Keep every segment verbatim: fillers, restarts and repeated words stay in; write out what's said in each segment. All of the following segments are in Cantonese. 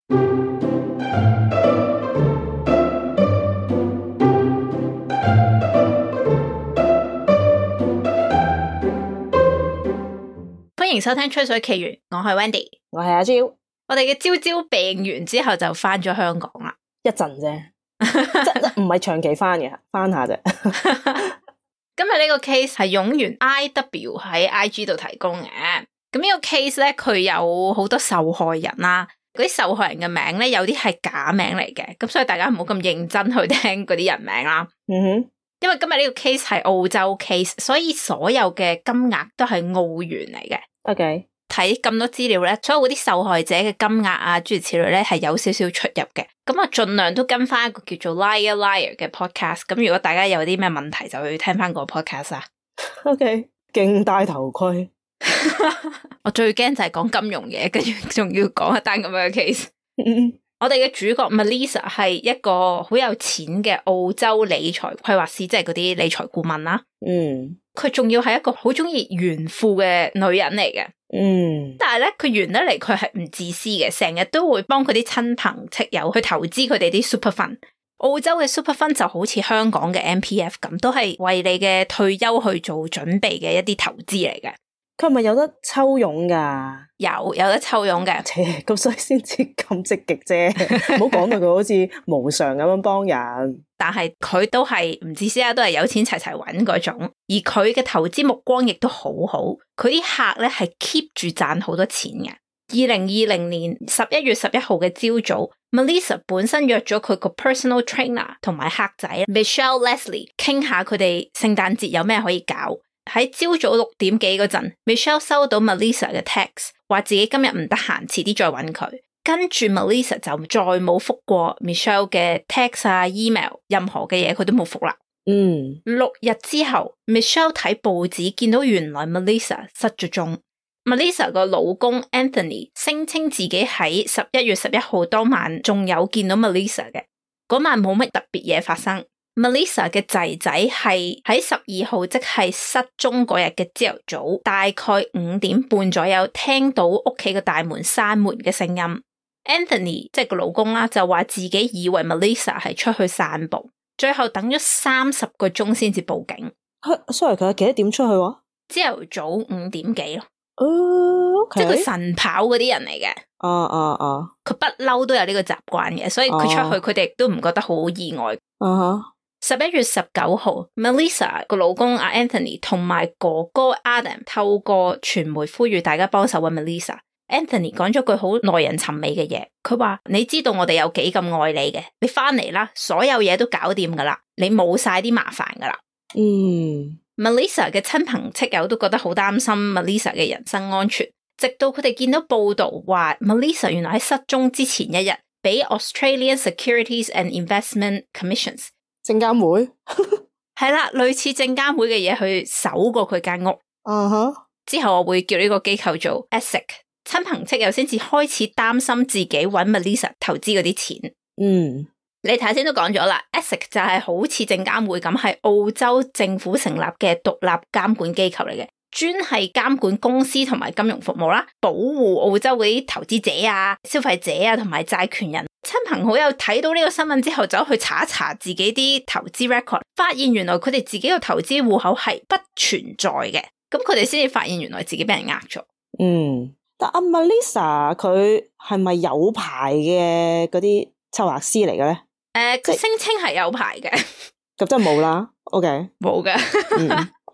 歡迎收聽吹水奇緣，我係 Wendy， 我係阿蕉。我哋嘅朝朝病完之後就翻咗香港啦，一陣啫，即唔係長期翻嘅，翻下啫。今日呢個 case 係勇員 I W 喺 I G 度提供嘅，咁呢個 case 咧佢有好多受害人啦，嗰啲受害人嘅名咧有啲係假名嚟嘅，咁所以大家唔好咁認真去聽嗰啲人名啦。嗯哼，因為今日呢個 case 係澳洲 case， 所以所有嘅金額都係澳元嚟嘅。OK，睇咁多資料咧，所有嗰啲受害者嘅金額啊，諸如此類咧係有少少出入嘅。咁啊，盡量都跟翻一個叫做 Liar Liar 嘅 podcast。咁如果大家有啲咩問題，就去聽翻個 podcast 啊。OK，勁戴頭盔。我最驚就係講金融嘢，跟住仲要講一單咁樣嘅 case。我哋嘅主角 Melissa 係一個好有錢嘅澳洲理財規劃師，即係嗰啲理財顧問啦。嗯，佢仲要係一個好中意炫富嘅女人嚟嘅。嗯，但係咧，佢炫得嚟，佢係唔自私嘅，成日都會幫佢啲親朋戚友去投資佢哋啲 super fund。澳洲嘅 super fund 就好似香港嘅 M P F 咁，都係為你嘅退休去做準備嘅一啲投資嚟嘅。佢係咪有得抽佣噶？有有得抽佣嘅，咁所以先至咁積極啫。唔好講到佢好似無償咁樣幫人。但係佢都係唔自私啊，都係有錢齊齊搵嗰種。而佢嘅投資目光亦都好好，佢啲客咧係 keep 住賺好多錢嘅。二零二零年十一月十一號嘅朝早 ，Melissa 本身約咗佢個 personal trainer 同埋客仔 Michelle Leslie 傾下佢哋聖誕節有咩可以搞。喺朝早六點幾嗰陣 ，Michelle 收到 Melissa 嘅 text， 話自己今日唔得閒，遲啲再搵佢。跟住 Melissa 就再冇覆過 Michelle 嘅 text 啊 email， 任何嘅嘢佢都冇覆啦。嗯，六日之後 ，Michelle 睇報紙見到原來 Melissa 失咗蹤。Melissa 個老公 Anthony 聲稱自己喺十一月十一號當晚仲有見到 Melissa 嘅，嗰晚冇乜特別嘢發生。Melissa 嘅仔仔係喺十二號，即係失蹤嗰日嘅朝頭早，大概五點半左右，聽到屋企嘅大門閂門嘅聲音。Anthony 即係個老公啦，就話自己以為 Melissa 係出去散步，最後等咗三十個鐘先至報警。sorry， 佢係幾多點出去喎？朝頭早五點幾咯。哦、uh, okay. 即係佢晨跑嗰啲人嚟嘅。啊啊啊！佢不嬲都有呢個習慣嘅，所以佢出去佢哋都唔覺得好意外。啊哈！十一月十九號 ，Melissa 個老公阿 Anthony 同埋哥哥 Adam 透過傳媒呼籲大家幫手搵 Melissa。Anthony 講咗句好耐人尋味嘅嘢，佢話：你知道我哋有幾咁愛你嘅，你翻嚟啦，所有嘢都搞掂噶啦，你冇晒啲麻煩噶啦。嗯 ，Melissa 嘅親朋戚友都覺得好擔心 Melissa 嘅人身安全，直到佢哋見到報道話 Melissa 原來喺失蹤之前一日，俾 Australian Securities and Investment Commissions 證監會係啦，類似證監會嘅嘢去搜過佢間屋。啊哈！之後我會叫呢個機構做 A S I C， 親朋戚友先至開始擔心自己搵 Melissa 投資嗰啲錢。嗯，你頭先都講咗啦 A S I C 就係好似證監會咁，係澳洲政府成立嘅獨立監管機構嚟嘅，專係監管公司同埋金融服務啦，保護澳洲嗰啲投資者啊、消費者啊同埋債權人。親朋好友睇到呢個新聞之後，走去查一查自己啲投資 record， 發現原來佢哋自己個投資戶口係不存在嘅，咁佢哋先至發現原來自己俾人呃咗。嗯，但阿 Melissa 佢係咪有牌嘅嗰啲策劃師嚟嘅咧？誒、呃，佢聲稱係有牌嘅，咁真係冇啦。OK，冇嘅。嗯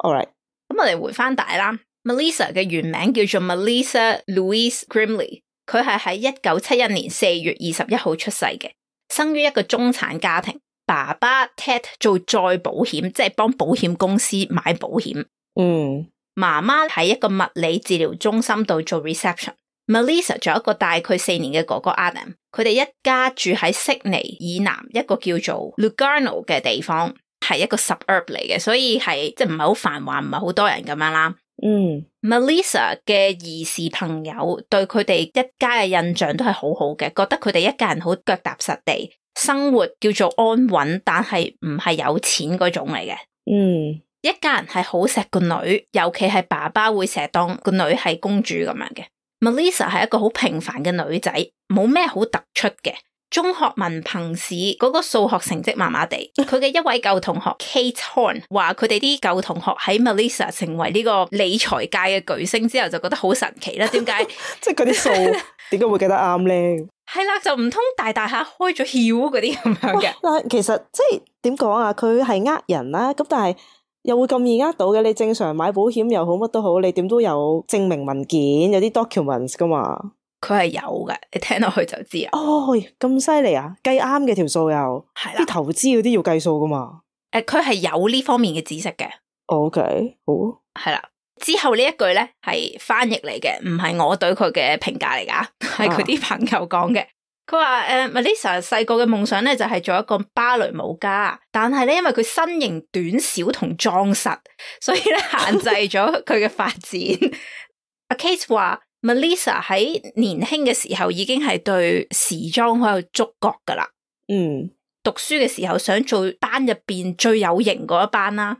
，all right。咁我哋回翻帶啦 ，Melissa 嘅原名叫做 Melissa Louise Grimley。佢係喺一九七一年四月二十一號出世嘅，生於一個中產家庭。爸爸 Ted 做再保險，即係幫保險公司買保險。嗯，媽媽喺一個物理治療中心度做 reception。Melissa 仲有一個大佢四年嘅哥哥 Adam， 佢哋一家住喺悉尼以南一個叫做 Lugano 嘅地方，係一個 suburb 嚟嘅，所以係即係唔係好繁華，唔係好多人咁樣啦。嗯 ，Melissa 嘅兒時朋友對佢哋一家嘅印象都係好好嘅，覺得佢哋一家人好腳踏實地，生活叫做安穩，但係唔係有錢嗰種嚟嘅。嗯，一家人係好錫個女，尤其係爸爸會成日當個女係公主咁樣嘅。Melissa 係一個好平凡嘅女仔，冇咩好突出嘅。中學文憑試嗰個數學成績麻麻地，佢嘅一位舊同學 Kate Horn 話佢哋啲舊同學喺 Melissa 成為呢個理財界嘅巨星之後就覺得好神奇啦。點解？即係嗰啲數點解會記得啱咧？係啦，就唔通大大下開咗竅嗰啲咁樣嘅？但係其實即係點講啊？佢係呃人啦，咁但係又會咁易呃到嘅？你正常買保險又好，乜都好，你點都有證明文件，有啲 documents 噶嘛？佢係有嘅，你聽落去就知啊。哦，咁犀利啊！計啱嘅條數又係啦，啲投資嗰啲要計數噶嘛？誒，佢係有呢方面嘅知識嘅。OK，好。係啦，之後呢一句咧係翻譯嚟嘅，唔係我對佢嘅評價嚟噶，係佢啲朋友講嘅。佢話誒 Melissa 細個嘅夢想咧就係做一個芭蕾舞家，但係咧因為佢身形短小同壯實，所以咧限制咗佢嘅發展。阿 Kate 話。Melissa 喺年輕嘅時候已經係對時裝好有觸覺噶啦。嗯，讀書嘅時候想做班入邊最有型嗰一班啦，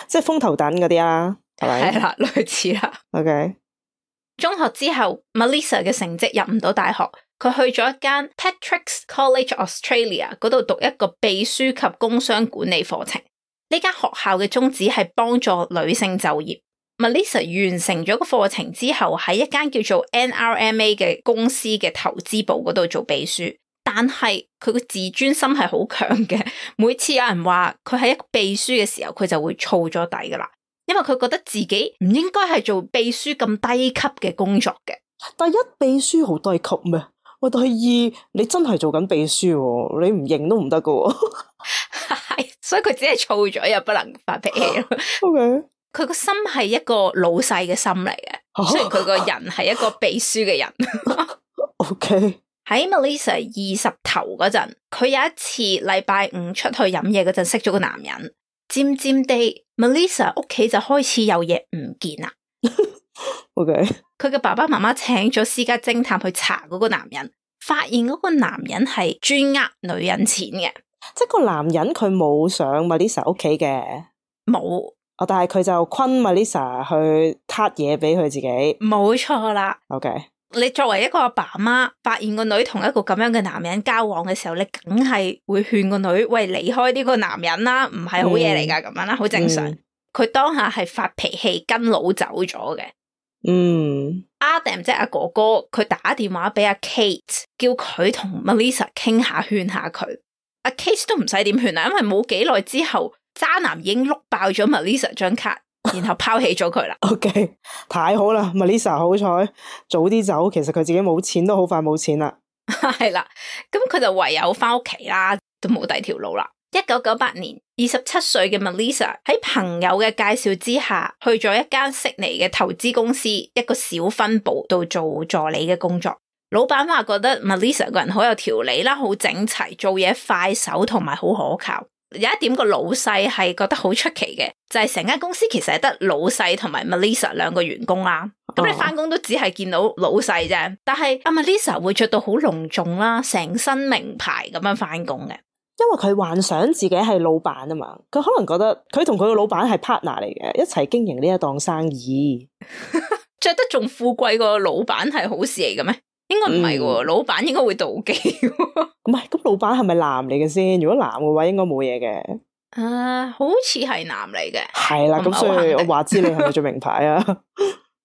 即係風頭躉嗰啲啦，係咪？係啦，類似啦。OK。中學之後 ，Melissa 嘅成績入唔到大學，佢去咗一間 Patrick's College Australia 嗰度讀一個秘書及工商管理課程。呢間學校嘅宗旨係幫助女性就業。Melissa 完成咗個課程之後，喺一間叫做 N R M A 嘅公司嘅投資部嗰度做秘書，但係佢個自尊心係好強嘅。每次有人話佢係一個秘書嘅時候，佢就會燥咗底噶啦，因為佢覺得自己唔應該係做秘書咁低級嘅工作嘅。第一，秘書好低級咩？喂，第二，你真係做緊秘書，你唔認都唔得噶。係，所以佢只係燥咗，又不能發脾氣咯。OK。佢個心係一個老細嘅心嚟嘅，啊、雖然佢個人係一個秘書嘅人。OK。喺 Melissa 二十頭嗰陣，佢有一次禮拜五出去飲嘢嗰陣識咗個男人，漸漸地 Melissa 屋企就開始有嘢唔見啦。OK。佢嘅爸爸媽媽請咗私家偵探去查嗰個男人，發現嗰個男人係專呃女人錢嘅。即係個男人佢冇上 Melissa 屋企嘅，冇。哦，但係佢就昆 Melissa 去撻嘢俾佢自己，冇錯啦。OK，你作為一個阿爸阿媽，發現個女同一個咁樣嘅男人交往嘅時候，你梗係會勸個女喂離開呢個男人啦，唔係好嘢嚟噶，咁樣啦，好正常。佢、嗯、當下係發脾氣跟佬走咗嘅。嗯，Adam 即係阿哥哥，佢打電話俾阿 Kate， 叫佢同 Melissa 傾下勸下佢。阿 Kate 都唔使點勸啦，因為冇幾耐之後。渣男已經碌爆咗 Melissa 張卡，然後拋棄咗佢啦。OK， 太好啦 ，Melissa 好彩早啲走，其實佢自己冇錢都好快冇錢啦。係啦，咁佢就唯有翻屋企啦，都冇第二條路啦。一九九八年，二十七歲嘅 Melissa 喺朋友嘅介紹之下，去咗一間悉尼嘅投資公司一個小分部度做助理嘅工作。老闆話覺得 Melissa 個人好有條理啦，好整齊，做嘢快手同埋好可靠。有一點個老細係覺得好出奇嘅，就係成間公司其實係得老細同埋 Melissa 兩個員工啦。咁、oh. 你翻工都只係見到老細啫，但係阿 Melissa 會着到好隆重啦，成身名牌咁樣翻工嘅。因為佢幻想自己係老闆啊嘛，佢可能覺得佢同佢個老闆係 partner 嚟嘅，一齊經營呢一檔生意。着得仲富貴過老闆係好事嚟嘅咩？應該唔係喎，老闆應該會妒忌。唔係，咁老闆係咪男嚟嘅先？如果男嘅話，應該冇嘢嘅。誒、uh, 好似係男嚟嘅。係啦，咁所以我話知你係咪做名牌啊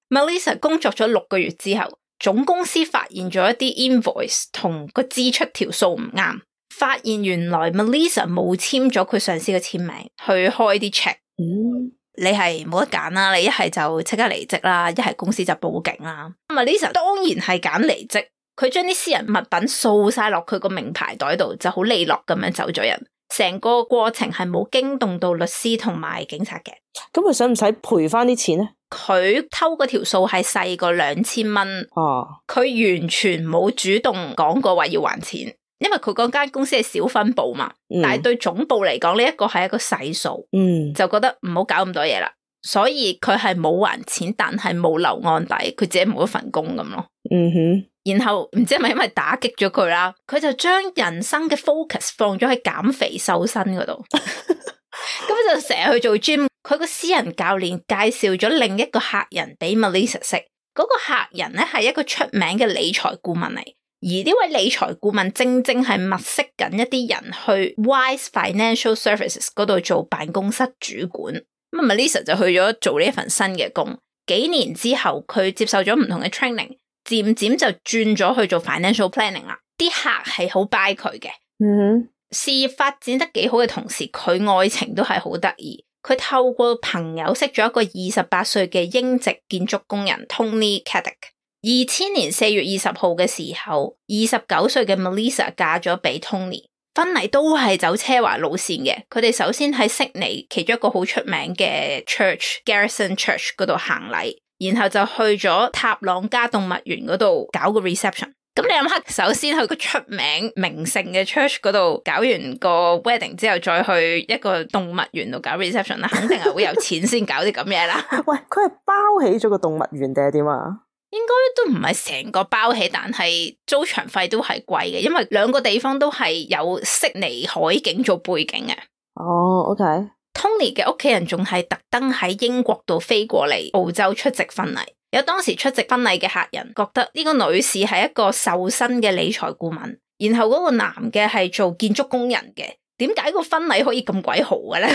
？Melissa 工作咗六個月之後，總公司發現咗一啲 invoice 同個支出條數唔啱，發現原來 Melissa 冇簽咗佢上司嘅簽名去開啲 check。嗯。你係冇得揀啦，你一係就即刻離職啦，一係公司就報警啦。Melissa 當然係揀離職，佢將啲私人物品掃晒落佢個名牌袋度，就好利落咁樣走咗人。成個過程係冇驚動到律師同埋警察嘅。咁佢使唔使賠翻啲錢咧？佢偷嗰條數係細過兩千蚊。哦，佢完全冇主動講過話要還錢。因為佢嗰間公司係小分部嘛，嗯、但係對總部嚟講呢一個係一個細數，嗯、就覺得唔好搞咁多嘢啦，所以佢係冇還錢，但係冇留案底，佢自己冇一份工咁咯。嗯哼，然後唔知係咪因為打擊咗佢啦，佢就將人生嘅 focus 放咗喺減肥瘦身嗰度，咁就成日去做 gym。佢個私人教練介紹咗另一個客人俾 Melissa 識。嗰個客人咧係一個出名嘅理財顧問嚟，而呢位理財顧問正正係物色緊一啲人去 Wise Financial Services 嗰度做辦公室主管。咁 Melissa 就去咗做呢一份新嘅工，幾年之後佢接受咗唔同嘅 training， 漸漸就轉咗去做 financial planning 啦。啲客係好 buy 佢嘅，嗯，事業發展得幾好嘅同時，佢愛情都係好得意。佢透過朋友識咗一個二十八歲嘅英籍建築工人 Tony Caddick。二千年四月二十號嘅時候，二十九歲嘅 Melissa 嫁咗俾 Tony， 婚禮都係走奢華路線嘅。佢哋首先喺悉尼其中一個好出名嘅 Church Garrison Church 嗰度行禮，然後就去咗塔朗加動物園嗰度搞個 reception。咁你諗下，首先去個出名名勝嘅 church 嗰度搞完個 wedding 之後，再去一個動物園度搞 reception 啦，肯定係會有錢先搞啲咁嘢啦。喂，佢係包起咗個動物園定係點啊？應該都唔係成個包起，但係租場費都係貴嘅，因為兩個地方都係有悉尼海景做背景嘅。哦 ，OK。Tony 嘅屋企人仲係特登喺英國度飛過嚟澳洲出席婚禮。有當時出席婚禮嘅客人覺得呢個女士係一個受薪嘅理財顧問，然後嗰個男嘅係做建築工人嘅，點解個婚禮可以咁鬼豪嘅咧？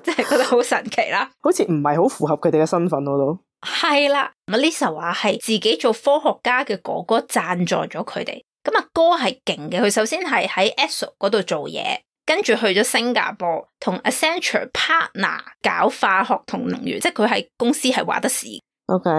即係覺得好神奇啦，好似唔係好符合佢哋嘅身份咯都。係啦 ，Melissa 話係自己做科學家嘅哥哥贊助咗佢哋，咁阿哥係勁嘅，佢首先係喺 E S O 嗰度做嘢，跟住去咗新加坡同 Accenture partner 搞化學同能源，即係佢係公司係話得事。OK。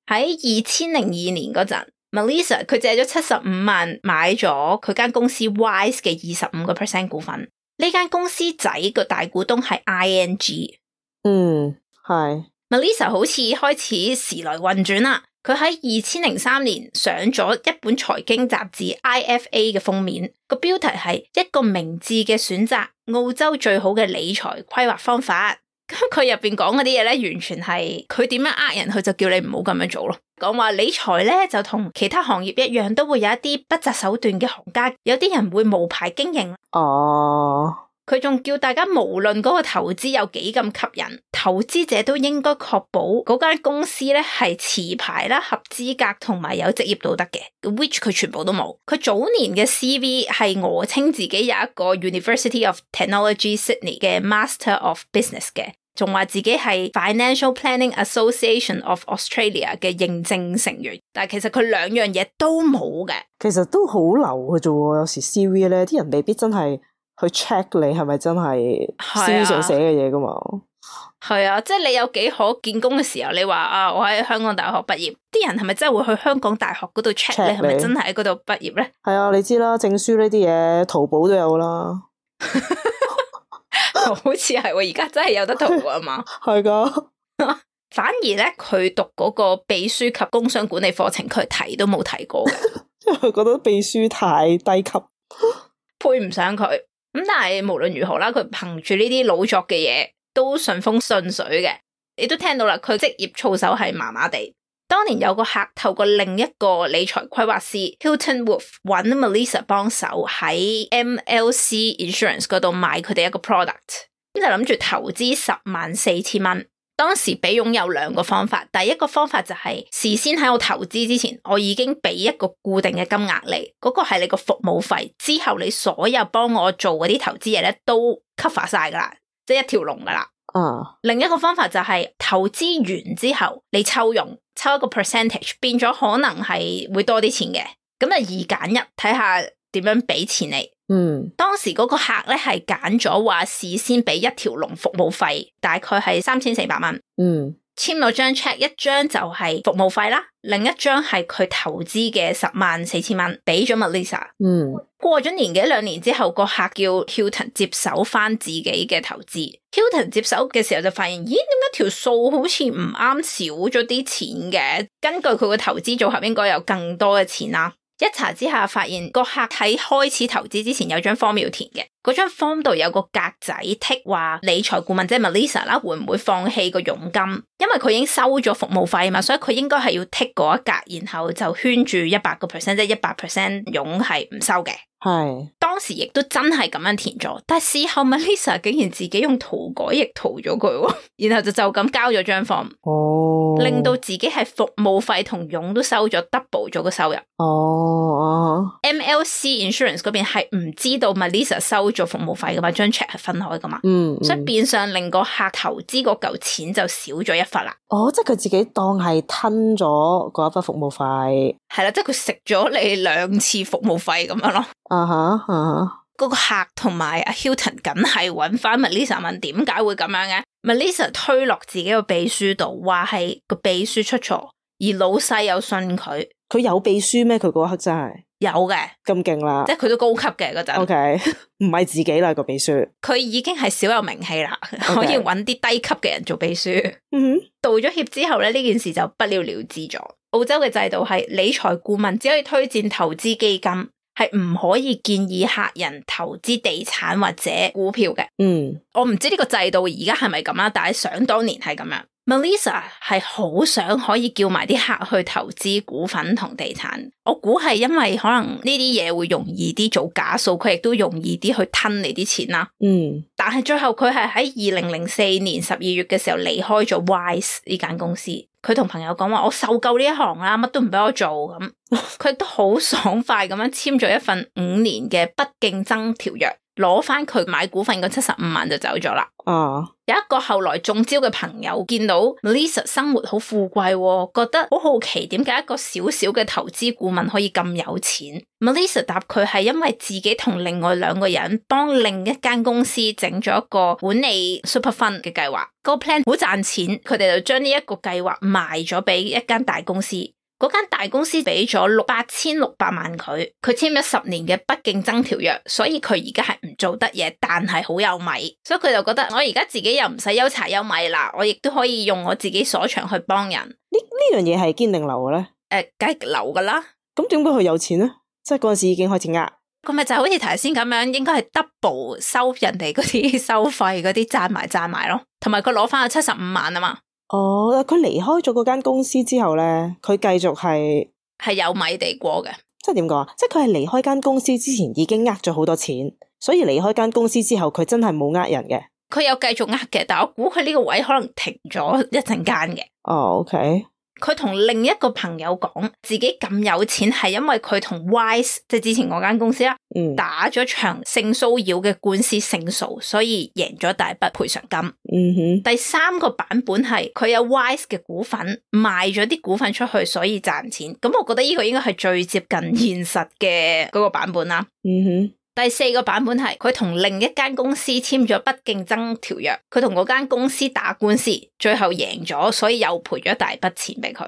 喺二千零二年嗰陣 ，Melissa 佢借咗七十五萬買咗佢間公司 Wise 嘅二十五個 percent 股份。呢間公司仔個大股東係 I N G。嗯，係。Melissa 好似開始時來運轉啦。佢喺二千零三年上咗一本財經雜誌 I F A 嘅封面，個標題係一個明智嘅選擇，澳洲最好嘅理財規劃方法。咁佢入邊講嗰啲嘢咧，完全係佢點樣呃人，佢就叫你唔好咁樣做咯。講話理財咧就同其他行業一樣，都會有一啲不擇手段嘅行家，有啲人會無牌經營。哦，佢仲叫大家無論嗰個投資有幾咁吸引，投資者都應該確保嗰間公司咧係持牌啦、合資格同埋有職業道德嘅。which 佢全部都冇。佢早年嘅 C V 係訛稱自己有一個 University of Technology Sydney 嘅 Master of Business 嘅，仲話自己係 Financial Planning Association of Australia 嘅認證成員，但係其實佢兩樣嘢都冇嘅。其實都好流嘅啫喎，有時 C V 咧，啲人未必真係去 check 你係咪真係 C V 上寫嘅嘢噶嘛。係啊，即係你有幾可見工嘅時候，你話啊，我喺香港大學畢業，啲人係咪真係會去香港大學嗰度 check 你係咪真係喺嗰度畢業咧？係啊，你知啦，證書呢啲嘢淘寶都有啦。好似係喎，而家真係有得淘啊嘛。係噶。反而咧，佢讀嗰個秘書及工商管理課程，佢提都冇提過嘅，因為佢覺得秘書太低級，配唔上佢。咁但係無論如何啦，佢憑住呢啲老作嘅嘢，都順風順水嘅。你都聽到啦，佢職業操守係麻麻地。當年有個客透過另一個理財規劃師 Hilton Wolf 揾 Melissa 幫手喺 M L C Insurance 嗰度買佢哋一個 product， 咁就諗住投資十萬四千蚊。當時比佣有兩個方法，第一個方法就係事先喺我投資之前，我已經俾一個固定嘅金額你，嗰、那個係你個服務費，之後你所有幫我做嗰啲投資嘢咧都 cover 晒噶啦，即係一條龍噶啦。啊、uh. 另一個方法就係投資完之後你抽佣，抽一個 percentage， 變咗可能係會多啲錢嘅，咁就二揀一，睇下點樣俾錢你。嗯，當時嗰個客咧係揀咗話事先俾一條龍服務費，大概係三千四百蚊。嗯，簽咗張 check， 一張就係服務費啦，另一張係佢投資嘅十萬四千蚊，俾咗 Melissa。嗯，過咗年幾兩年之後，個客叫 Hilton 接手翻自己嘅投資。Hilton 接手嘅時候就發現，咦，點解條數好似唔啱，少咗啲錢嘅？根據佢個投資組合，應該有更多嘅錢啦。一查之下發現個客喺開始投資之前有張 form 要填嘅，嗰張 form 度有個格仔剔話理財顧問即係 Melissa 啦，會唔會放棄個佣金？因為佢已經收咗服務費嘛，所以佢應該係要剔嗰一格，然後就圈住一百個 percent， 即係一百 percent 佣係唔收嘅。係當當時亦都真係咁樣填咗，但係事後 Melissa 竟然自己用塗改液塗咗佢，然後就就咁交咗張 form， 哦，令到自己係服務費同佣都收咗 double 咗個收入。哦 M L C Insurance 嗰邊係唔知道 Melissa 收咗服務費噶嘛，張 check 係分開噶嘛，嗯，所以變相令個客投資嗰嚿錢就少咗一忽啦。哦，即係佢自己當係吞咗嗰一筆服務費，係啦，即係佢食咗你兩次服務費咁樣咯。啊哈啊哈，嗰個客同埋阿 Hilton 梗係揾翻 Melissa 問點解會咁樣嘅。Melissa 推落自己個秘書度，話係個秘書出錯，而老細又信佢。佢有秘書咩？佢嗰刻真係有嘅，咁勁啦，即係佢都高級嘅嗰陣。O K， 唔係自己啦個秘書，佢已經係小有名氣啦，okay. 可以揾啲低級嘅人做秘書。嗯哼，道咗歉之後咧，呢件事就不了了之咗。澳洲嘅制度係理財顧問只可以推薦投資基金，係唔可以建議客人投資地產或者股票嘅。嗯，我唔知呢個制度而家係咪咁啦，但係想當年係咁樣。Melissa 係好想可以叫埋啲客去投資股份同地產，我估係因為可能呢啲嘢會容易啲做假數，佢亦都容易啲去吞你啲錢啦。嗯，但係最後佢係喺二零零四年十二月嘅時候離開咗 Wise 呢間公司。佢同朋友講話：我受夠呢一行啦，乜都唔俾我做咁。佢都好爽快咁樣簽咗一份五年嘅不競爭條約，攞翻佢買股份嗰七十五萬就走咗啦。啊，有一個後來中招嘅朋友見到 Melissa 生活好富貴，覺得好好奇點解一個小小嘅投資顧問可以咁有錢。Melissa 答佢係因為自己同另外兩個人幫另一間公司整咗一個管理 super fund 嘅計劃，個 plan 好賺錢，佢哋就將呢一個計劃賣咗俾一間大公司。嗰間大公司俾咗六八千六百萬佢，佢簽咗十年嘅不競爭條約，所以佢而家係唔做得嘢，但係好有米，所以佢就覺得我而家自己又唔使憂柴憂米啦，我亦都可以用我自己所長去幫人。呢呢樣嘢係堅定流嘅咧？誒、呃，梗係流噶啦。咁點解佢有錢咧？即係嗰陣時已經開始呃，佢咪就好似頭先咁樣，應該係 double 收人哋嗰啲收費嗰啲賺埋賺埋咯，同埋佢攞翻咗七十五萬啊嘛。哦，佢離開咗嗰間公司之後咧，佢繼續係係有米地過嘅。即係點講啊？即係佢係離開間公司之前已經呃咗好多錢，所以離開間公司之後，佢真係冇呃人嘅。佢有繼續呃嘅，但我估佢呢個位可能停咗一陣間嘅。哦，OK。佢同另一個朋友講自己咁有錢係因為佢同 Wise 即係之前嗰間公司啦，嗯，打咗場性騷擾嘅官司勝訴，所以贏咗大筆賠償金。嗯哼。第三個版本係佢有 Wise 嘅股份，賣咗啲股份出去，所以賺錢。咁我覺得呢個應該係最接近現實嘅嗰個版本啦。嗯哼。第四個版本係佢同另一間公司簽咗不競爭條約，佢同嗰間公司打官司，最後贏咗，所以又賠咗一大筆錢俾佢。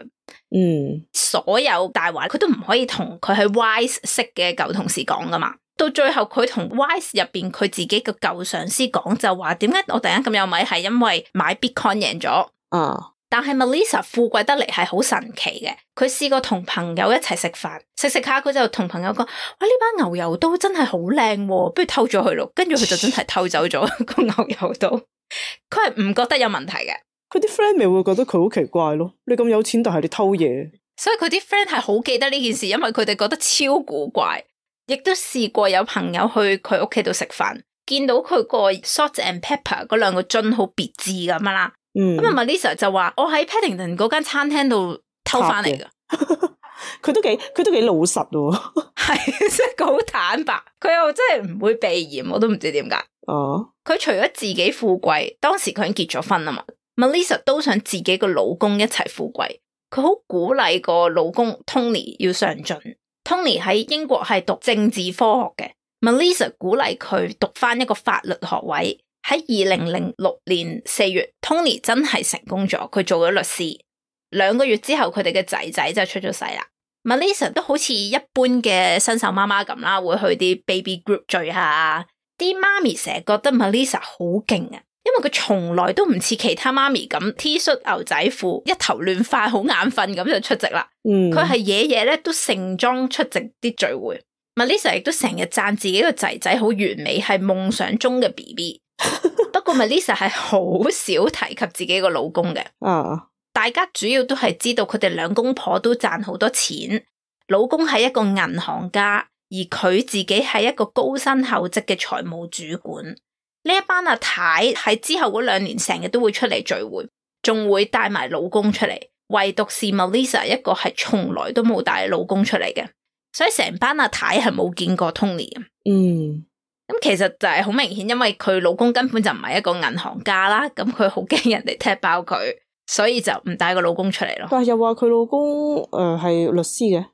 嗯，所有大話佢都唔可以同佢喺 Wise 識嘅舊同事講噶嘛。到最後佢同 Wise 入邊佢自己個舊上司講，就話點解我突然間咁有米，係因為買 Bitcoin 贏咗。啊！但係 Melissa 富貴得嚟係好神奇嘅，佢試過同朋友一齊食飯，食食下佢就同朋友講：哇，呢把牛油刀真係好靚，不如偷咗佢咯。跟住佢就真係偷走咗個牛油刀，佢係唔覺得有問題嘅。佢啲 friend 咪會覺得佢好奇怪咯？你咁有錢，但係你偷嘢，所以佢啲 friend 係好記得呢件事，因為佢哋覺得超古怪。亦都試過有朋友去佢屋企度食飯，見到佢個 salt and pepper 嗰兩個樽好別致咁樣啦。咁啊 Melissa 就話我喺 Paddington 嗰間餐廳度偷翻嚟噶，佢都幾佢都幾老實喎，係即係佢好坦白，佢又真係唔會避嫌，我都唔知點解。哦，佢除咗自己富貴，當時佢已經結咗婚啊嘛 ，Melissa 都想自己個老公一齊富貴，佢好鼓勵個老公 Tony 要上進。Tony 喺英國係讀政治科學嘅 ，Melissa 鼓勵佢讀翻一個法律學位。喺二零零六年四月 ，Tony 真係成功咗，佢做咗律師。兩個月之後，佢哋嘅仔仔就出咗世啦。Melissa 都好似一般嘅新手媽媽咁啦，會去啲 baby group 聚下。啲媽咪成日覺得 Melissa 好勁啊，因為佢從來都唔似其他媽咪咁 T 恤牛仔褲，一頭亂髮，好眼瞓咁就出席啦。佢係嘢嘢咧都盛裝出席啲聚會。Melissa 亦都成日讚自己個仔仔好完美，係夢想中嘅 B B。不過 Melissa 係好少提及自己個老公嘅，啊，大家主要都係知道佢哋兩公婆都賺好多錢，老公係一個銀行家，而佢自己係一個高薪厚職嘅財務主管。呢一班阿太喺之後嗰兩年成日都會出嚟聚會，仲會帶埋老公出嚟，唯獨是 Melissa 一個係從來都冇帶老公出嚟嘅，所以成班阿太係冇見過 Tony 嘅。嗯，咁其實就係好明顯，因為佢老公根本就唔係一個銀行家啦，咁佢好驚人哋踢爆佢，所以就唔帶個老公出嚟咯。但係又話佢老公誒係、呃、律師嘅。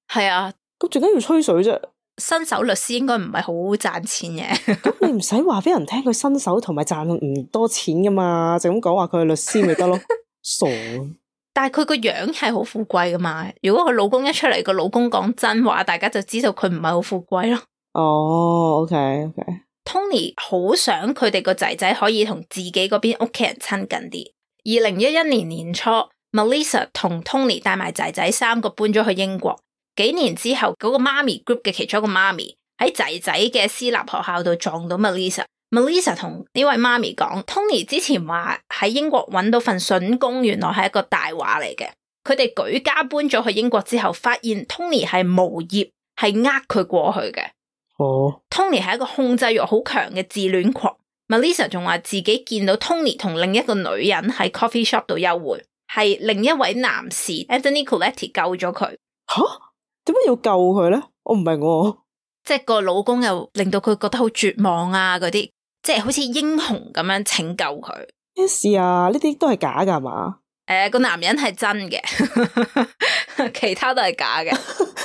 係啊，咁點解要吹水啫？新手律師應該唔係好賺錢嘅。咁你唔使話俾人聽佢新手同埋賺唔多錢噶嘛，就咁講話佢係律師咪得咯？傻！但係佢個樣係好富貴噶嘛，如果佢老公一出嚟，個老公講真話，大家就知道佢唔係好富貴咯。哦 ，OK OK。Tony 好想佢哋個仔仔可以同自己嗰邊屋企人親近啲。二零一一年年初 ，Melissa 同 Tony 帶埋仔仔三個搬咗去英國。幾年之後，嗰個媽咪 group 嘅其中一個媽咪喺仔仔嘅私立學校度撞到 Melissa。Melissa 同呢位媽咪講 ，Tony 之前話喺英國揾到份筍工，原來係一個大話嚟嘅。佢哋舉家搬咗去英國之後，發現 Tony 係無業，係呃佢過去嘅。哦 Tony 係一個控制欲好強嘅自戀狂。Melissa 仲話自己見到 Tony 同另一個女人喺 coffee shop 度幽會，係另一位男士 Anthony Coletti 救咗佢。吓？點解要救佢咧？我唔明喎。即係個老公又令到佢覺得好絕望啊，嗰啲即係好似英雄咁樣拯救佢。咩事啊？呢啲都係假噶係嘛？誒、呃，個男人係真嘅，其他都係假嘅。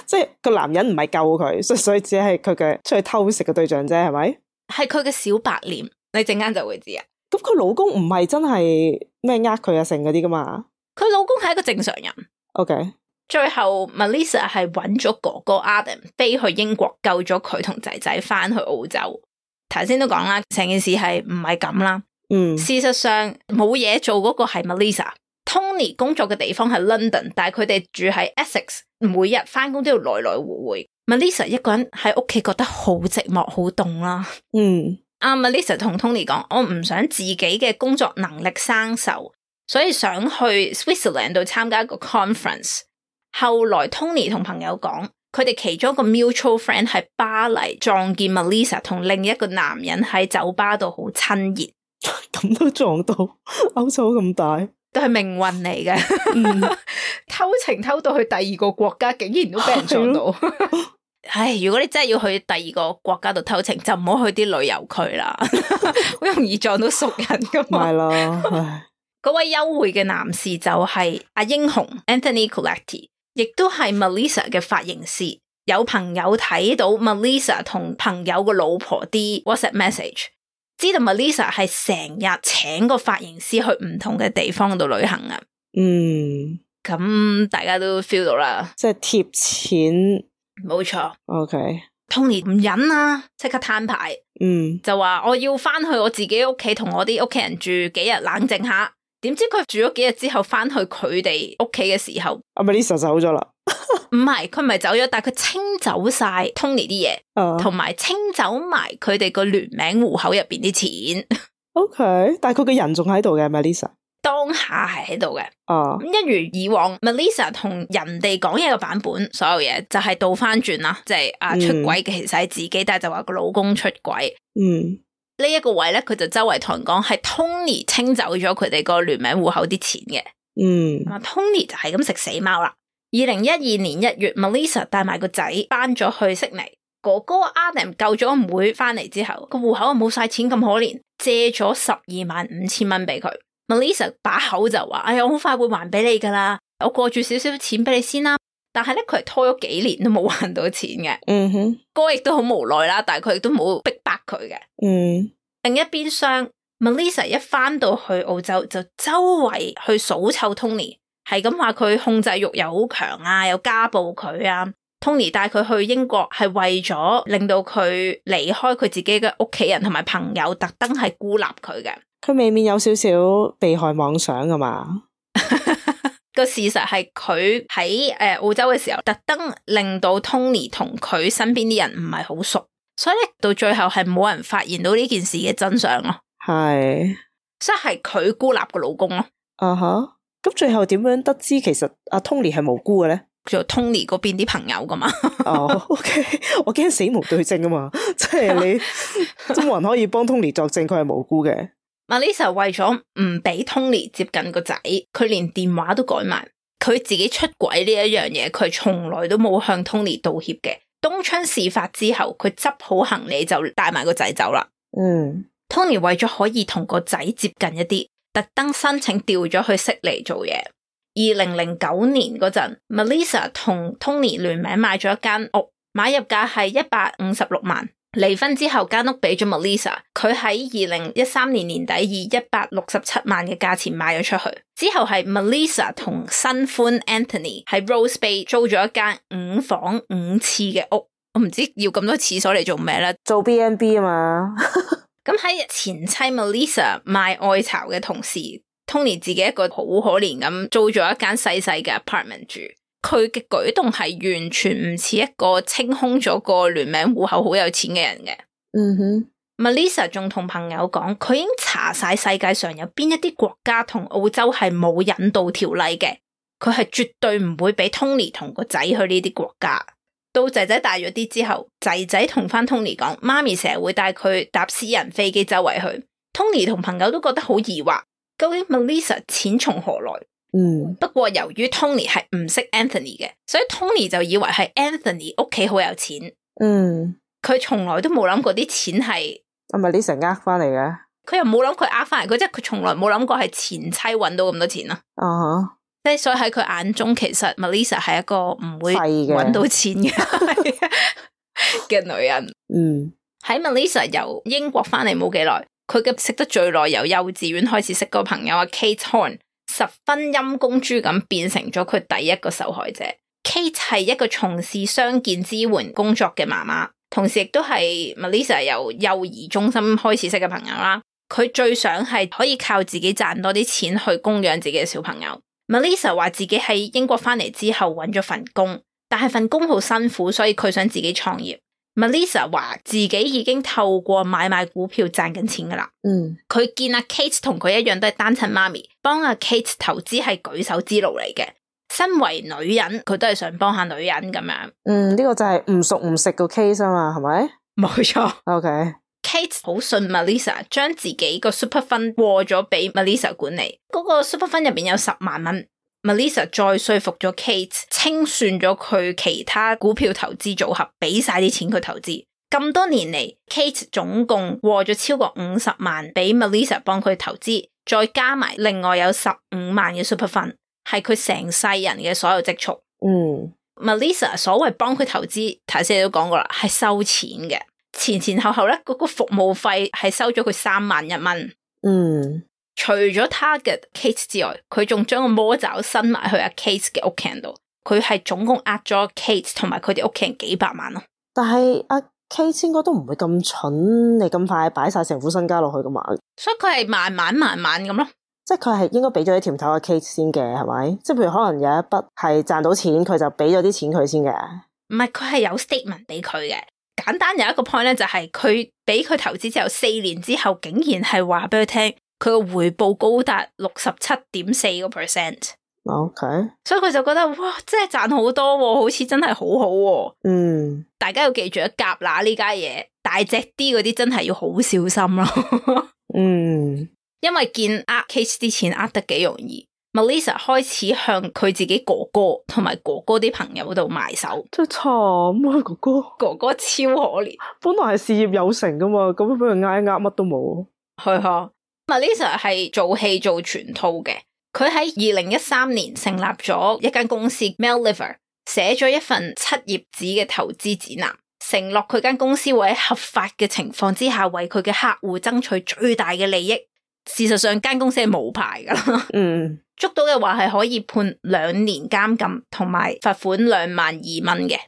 即係個男人唔係救佢，所以所以只係佢嘅出去偷食嘅對象啫，係咪？係佢嘅小白臉，你陣間就會知啊。咁佢老公唔係真係咩呃佢啊成嗰啲噶嘛？佢老公係一個正常人。OK。最後 Melissa 係揾咗哥哥 Adam 飛去英國救咗佢同仔仔翻去澳洲。頭先都講啦，成件事係唔係咁啦。嗯，事實上冇嘢做嗰個係 Melissa。Tony 工作嘅地方係 London， 但係佢哋住喺 Essex， 每日翻工都要來來回回。Melissa 一個人喺屋企覺得好寂寞好凍啦。嗯，阿、uh, Melissa 同 Tony 講，我唔想自己嘅工作能力生銹，所以想去 Switzerland 度參加一個 conference。後來 Tony 同朋友講，佢哋其中一個 mutual friend 喺巴黎撞見 Melissa 同另一個男人喺酒吧度好親熱。咁都撞到，歐洲咁大，都係命運嚟嘅。嗯、偷情偷到去第二個國家，竟然都俾人撞到。唉，如果你真係要去第二個國家度偷情，就唔好去啲旅遊區啦，好容易撞到熟人噶嘛。係啦，唉，嗰位幽會嘅男士就係阿英雄 Anthony Coletti， 亦都係 Melissa 嘅髮型師。有朋友睇到 Melissa 同朋友個老婆啲 WhatsApp message， 知道 Melissa 係成日請個髮型師去唔同嘅地方度旅行啊。嗯，咁大家都 feel 到啦，即係貼錢。冇錯。OK， Tony 唔忍啊，即刻攤牌。嗯，就話我要翻去我自己屋企同我啲屋企人住幾日冷靜下。點知佢住咗幾日之後翻去佢哋屋企嘅時候，阿 Melissa 走咗啦。唔係，佢唔係走咗，但係佢清走晒 Tony 啲嘢，同埋、uh. 清走埋佢哋個聯名戶口入邊啲錢。OK， 但係佢嘅人仲喺度嘅 Melissa。當下係喺度嘅，哦，咁一如以往 Melissa 同人哋講嘢嘅版本，所有嘢就係倒翻轉啦，即係啊出軌嘅其實係自己，嗯、但係就話個老公出軌。嗯，呢一個位咧，佢就周圍同人講係 Tony 清走咗佢哋個聯名戶口啲錢嘅。嗯，啊 Tony 就係咁食死貓啦。二零一二年一月 ，Melissa 帶埋個仔搬咗去悉尼，哥哥 Adam 救咗妹翻嚟之後，個戶口冇晒錢咁可憐，借咗十二萬五千蚊俾佢。Melissa 把口就話：哎呀，我好快會還俾你噶啦，我過住少少錢俾你先啦。但係咧，佢係拖咗幾年都冇還到錢嘅。嗯哼，哥亦都好無奈啦，但係佢亦都冇逼迫佢嘅。嗯，另一邊廂 ，Melissa 一翻到去澳洲就周圍去數臭 Tony， 係咁話佢控制欲又好強啊，又家暴佢啊。Tony 帶佢去英國係為咗令到佢離開佢自己嘅屋企人同埋朋友，特登係孤立佢嘅。佢未免有少少被害妄想㗎嘛？個事實係佢喺誒澳洲嘅時候，特登令到 Tony 同佢身邊啲人唔係好熟，所以咧到最後係冇人發現到呢件事嘅真相咯。係，所以係佢孤立個老公咯。啊哈，咁最後點樣得知其實阿 Tony 係無辜嘅咧？做 Tony 嗰邊啲朋友噶嘛。哦、oh,，OK， 我驚死無對證啊嘛，即係你都冇人可以幫 Tony 作證，佢係無辜嘅。Melissa 為咗唔俾 Tony 接近個仔，佢連電話都改埋。佢自己出軌呢一樣嘢，佢從來都冇向 Tony 道歉嘅。東窗事發之後，佢執好行李就帶埋個仔走啦。嗯 ，Tony 為咗可以同個仔接近一啲，特登申請調咗去悉尼做嘢。二零零九年嗰陣 ，Melissa 同 Tony 聯名買咗一間屋，買入價係一百五十六萬。離婚之後，間屋俾咗 Melissa， 佢喺二零一三年年底以一百六十七萬嘅價錢賣咗出去。之後係 Melissa 同新歡 Anthony 喺 Rose Bay 租咗一間五房五廁嘅屋。我唔知要咁多廁所嚟做咩啦，做 B and B 啊嘛。咁喺前妻 Melissa 賣愛巢嘅同時， Tony 自己一個好可憐咁租咗一間細細嘅 apartment 住。佢嘅舉動係完全唔似一個清空咗個聯名戶口好有錢嘅人嘅。嗯哼 Melissa 仲同朋友講，佢已經查晒世界上有邊一啲國家同澳洲係冇引渡條例嘅，佢係絕對唔會俾 Tony 同個仔去呢啲國家。到仔仔大咗啲之後，仔仔同翻 Tony 講，媽咪成日會帶佢搭私人飛機周圍去。Tony 同朋友都覺得好疑惑，究竟 Melissa 錢從何來？嗯，不過由於 Tony 係唔識 Anthony 嘅，所以 Tony 就以為係 Anthony 屋企好有錢。嗯，佢從來都冇諗過啲錢係係咪 Melissa 呃翻嚟嘅？佢又冇諗佢呃翻嚟，佢即係佢從來冇諗過係前妻搵到咁多錢啦。啊哈，即係所以喺佢眼中，其實 Melissa 係一個唔會搵到錢嘅嘅女人。嗯，喺 Melissa 由英國翻嚟冇幾耐，佢嘅識得最耐由幼稚園開始識個朋友阿 Kate Horn。十分陰公豬咁變成咗佢第一個受害者。Kate 係一個從事傷健支援工作嘅媽媽，同時亦都係 Melissa 由幼兒中心開始識嘅朋友啦。佢最想係可以靠自己賺多啲錢去供養自己嘅小朋友。Melissa 話自己喺英國翻嚟之後揾咗份工，但係份工好辛苦，所以佢想自己創業。Melissa 話自己已經透過買賣股票賺緊錢噶啦。嗯，佢見阿 Kate 同佢一樣都係單親媽咪，幫阿 Kate 投資係舉手之勞嚟嘅。身為女人，佢都係想幫下女人咁樣。嗯，呢、這個就係唔熟唔食個 case 啊嘛，係咪？冇錯。OK。Kate 好信 Melissa， 將自己個 super fund 過咗俾 Melissa 管理。嗰、那個 super fund 入邊有十萬蚊。Melissa 再說服咗 Kate， 清算咗佢其他股票投資組合，俾晒啲錢佢投資。咁多年嚟 Kate 總共過咗超過五十萬俾 Melissa 幫佢投資，再加埋另外有十五萬嘅 super fund， 係佢成世人嘅所有積蓄。嗯 Melissa 所謂幫佢投資，頭先你都講過啦，係收錢嘅，前前後後咧嗰個服務費係收咗佢三萬一蚊。嗯。除咗 target Kate 之外，佢仲將個魔爪伸埋去阿 Kate 嘅屋企人度，佢係總共呃咗 Kate 同埋佢哋屋企人幾百萬咯。但係阿 Kate 應該都唔會咁蠢，你咁快擺晒成副身家落去噶嘛？所以佢係慢慢慢慢咁咯。即係佢係應該俾咗啲甜頭阿 Kate 先嘅，係咪？即係譬如可能有一筆係賺到錢，佢就俾咗啲錢佢先嘅。唔係，佢係有 statement 俾佢嘅。簡單有一個 point 咧，就係佢俾佢投資之後四年之後，竟然係話俾佢聽。佢個回報高達六十七點四個 percent。OK，所以佢就覺得哇，真係賺好多喎，好似真係好好喎。嗯，大家要記住，夾乸呢家嘢大隻啲嗰啲真係要好小心咯。嗯，因為見呃 Kate 啲錢呃得幾容易。Melissa 開始向佢自己哥哥同埋哥哥啲朋友度埋手，真係慘啊！哥哥，哥哥超可憐，本來係事業有成噶嘛，咁樣俾人呃呃乜都冇。係啊。Melissa 係做戲做全套嘅，佢喺二零一三年成立咗一間公司 Melliver， 寫咗一份七頁紙嘅投資指南，承諾佢間公司會喺合法嘅情況之下為佢嘅客戶爭取最大嘅利益。事實上間公司係冇牌噶啦，嗯，捉到嘅話係可以判兩年監禁同埋罰款兩萬二蚊嘅。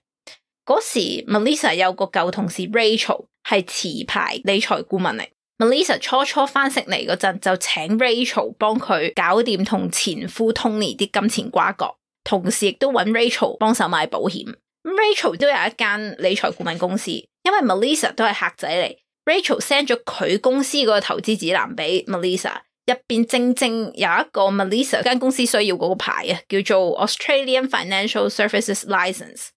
嗰時 Melissa 有個舊同事 Rachel 係持牌理財顧問嚟。Melissa 初初翻悉尼嗰陣就請 Rachel 幫佢搞掂同前夫 Tony 啲金錢瓜葛，同時亦都揾 Rachel 幫手買保險。Rachel 都有一間理財顧問公司，因為 Melissa 都係客仔嚟，Rachel send 咗佢公司個投資指南俾 Melissa，入邊正正有一個 Melissa 間公司需要嗰個牌啊，叫做 Australian Financial Services License。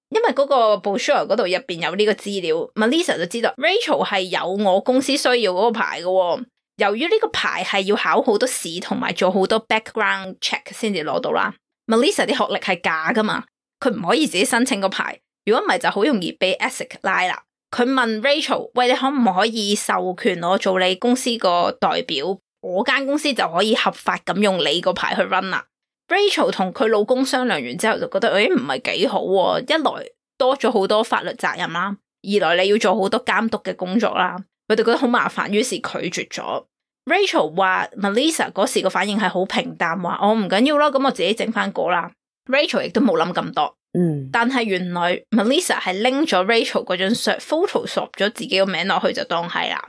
因為嗰個 brochure 嗰度入邊有呢個資料 ，Melissa 就知道 Rachel 係有我公司需要嗰個牌嘅喎。由於呢個牌係要考好多試同埋做好多 background check 先至攞到啦 ，Melissa 啲學歷係假噶嘛，佢唔可以自己申請個牌。如果唔係就好容易俾 A S I C 拉啦。佢問 Rachel， 喂，你可唔可以授權我做你公司個代表？我間公司就可以合法咁用你個牌去 run 啦。Rachel 同佢老公商量完之後就覺得，誒唔係幾好喎，一來多咗好多法律責任啦，二來你要做好多監督嘅工作啦，佢哋覺得好麻煩，於是拒絕咗。Rachel 話 Melissa 嗰時個反應係好平淡，話我唔緊要咯，咁我自己整翻個啦。Rachel 亦都冇諗咁多。嗯，但係原來 Melissa 係拎咗 Rachel 嗰張相 Photoshop 咗自己個名落去就當係啦。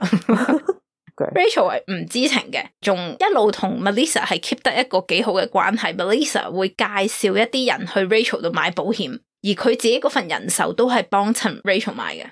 Okay. Rachel 係唔知情嘅，仲一路同 Melissa 係 keep 得一個幾好嘅關係。Melissa 會介紹一啲人去 Rachel 度買保險，而佢自己嗰份人壽都係幫襯 Rachel 買嘅。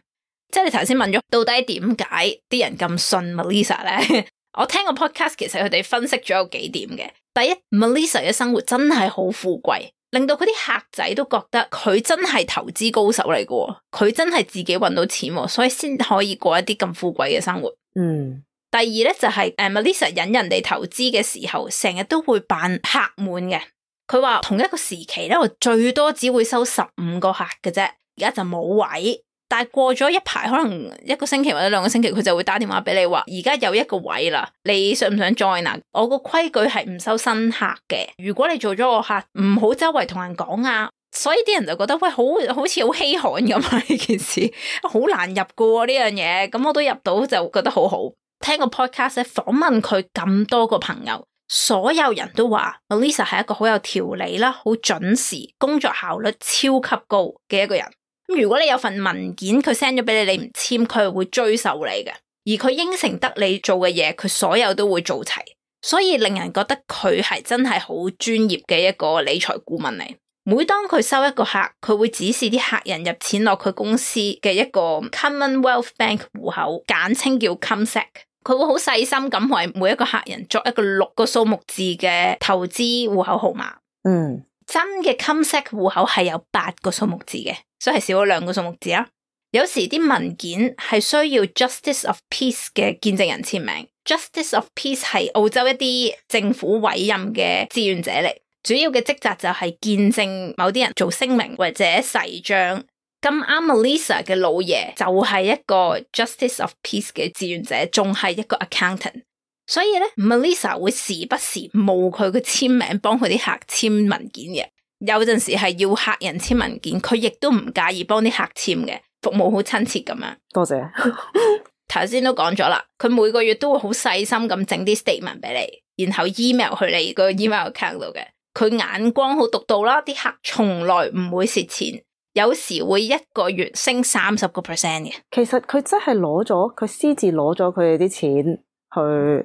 即係你頭先問咗，到底點解啲人咁信 Melissa 咧？我聽個 podcast 其實佢哋分析咗有幾點嘅。第一 ，Melissa 嘅生活真係好富貴。令到佢啲客仔都覺得佢真係投資高手嚟嘅，佢真係自己搵到錢，所以先可以過一啲咁富貴嘅生活。嗯，第二咧就係、是、誒 Melissa 引人哋投資嘅時候，成日都會扮客滿嘅。佢話同一個時期咧，我最多只會收十五個客嘅啫，而家就冇位。但係過咗一排，可能一個星期或者兩個星期，佢就會打電話俾你話，而家有一個位啦，你想唔想 join 啊？我個規矩係唔收新客嘅，如果你做咗個客，唔好周圍同人講啊。所以啲人就覺得喂，好好似好稀罕咁啊！呢件事好難入噶喎呢樣嘢，咁我都入到就覺得好好。聽個 podcast 咧，訪問佢咁多個朋友，所有人都話 Melissa 係一個好有條理啦，好準時，工作效率超級高嘅一個人。如果你有份文件佢 send 咗俾你，你唔簽，佢係會追究你嘅。而佢應承得你做嘅嘢，佢所有都會做齊，所以令人覺得佢係真係好專業嘅一個理財顧問嚟。每當佢收一個客，佢會指示啲客人入錢落佢公司嘅一個 Commonwealth Bank 戶口，簡稱叫 CommSec。佢會好細心咁為每一個客人作一個六個數目字嘅投資戶口號碼。嗯，真嘅 CommSec 戶口係有八個數目字嘅。所以係少咗兩個數目字啦。有時啲文件係需要 Justice of Peace 嘅見證人簽名。Justice of Peace 係澳洲一啲政府委任嘅志願者嚟，主要嘅職責就係見證某啲人做聲明或者誓章。咁啱 Melissa 嘅老爺就係一個 Justice of Peace 嘅志願者，仲係一個 accountant。所以咧 ，Melissa 會時不時冒佢嘅簽名幫佢啲客簽文件嘅。有陣時係要客人簽文件，佢亦都唔介意幫啲客簽嘅，服務好親切咁樣。多謝。頭先都講咗啦，佢每個月都會好細心咁整啲 statement 俾你，然後 email 去你個 email account 度嘅。佢眼光好獨到啦，啲客從來唔會蝕錢，有時會一個月升三十個 percent 嘅。其實佢真係攞咗，佢私自攞咗佢哋啲錢。去，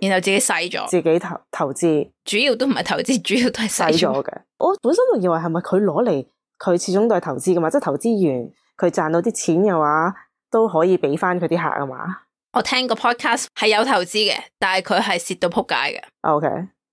然後自己使咗，自己投投資，主要都唔係投資，主要都係使咗嘅。我本身仲以為係咪佢攞嚟，佢始終都係投資噶嘛，即係投資完佢賺到啲錢嘅話，都可以俾翻佢啲客啊嘛。我聽個 podcast 係有投資嘅，但係佢係蝕到撲街嘅。OK，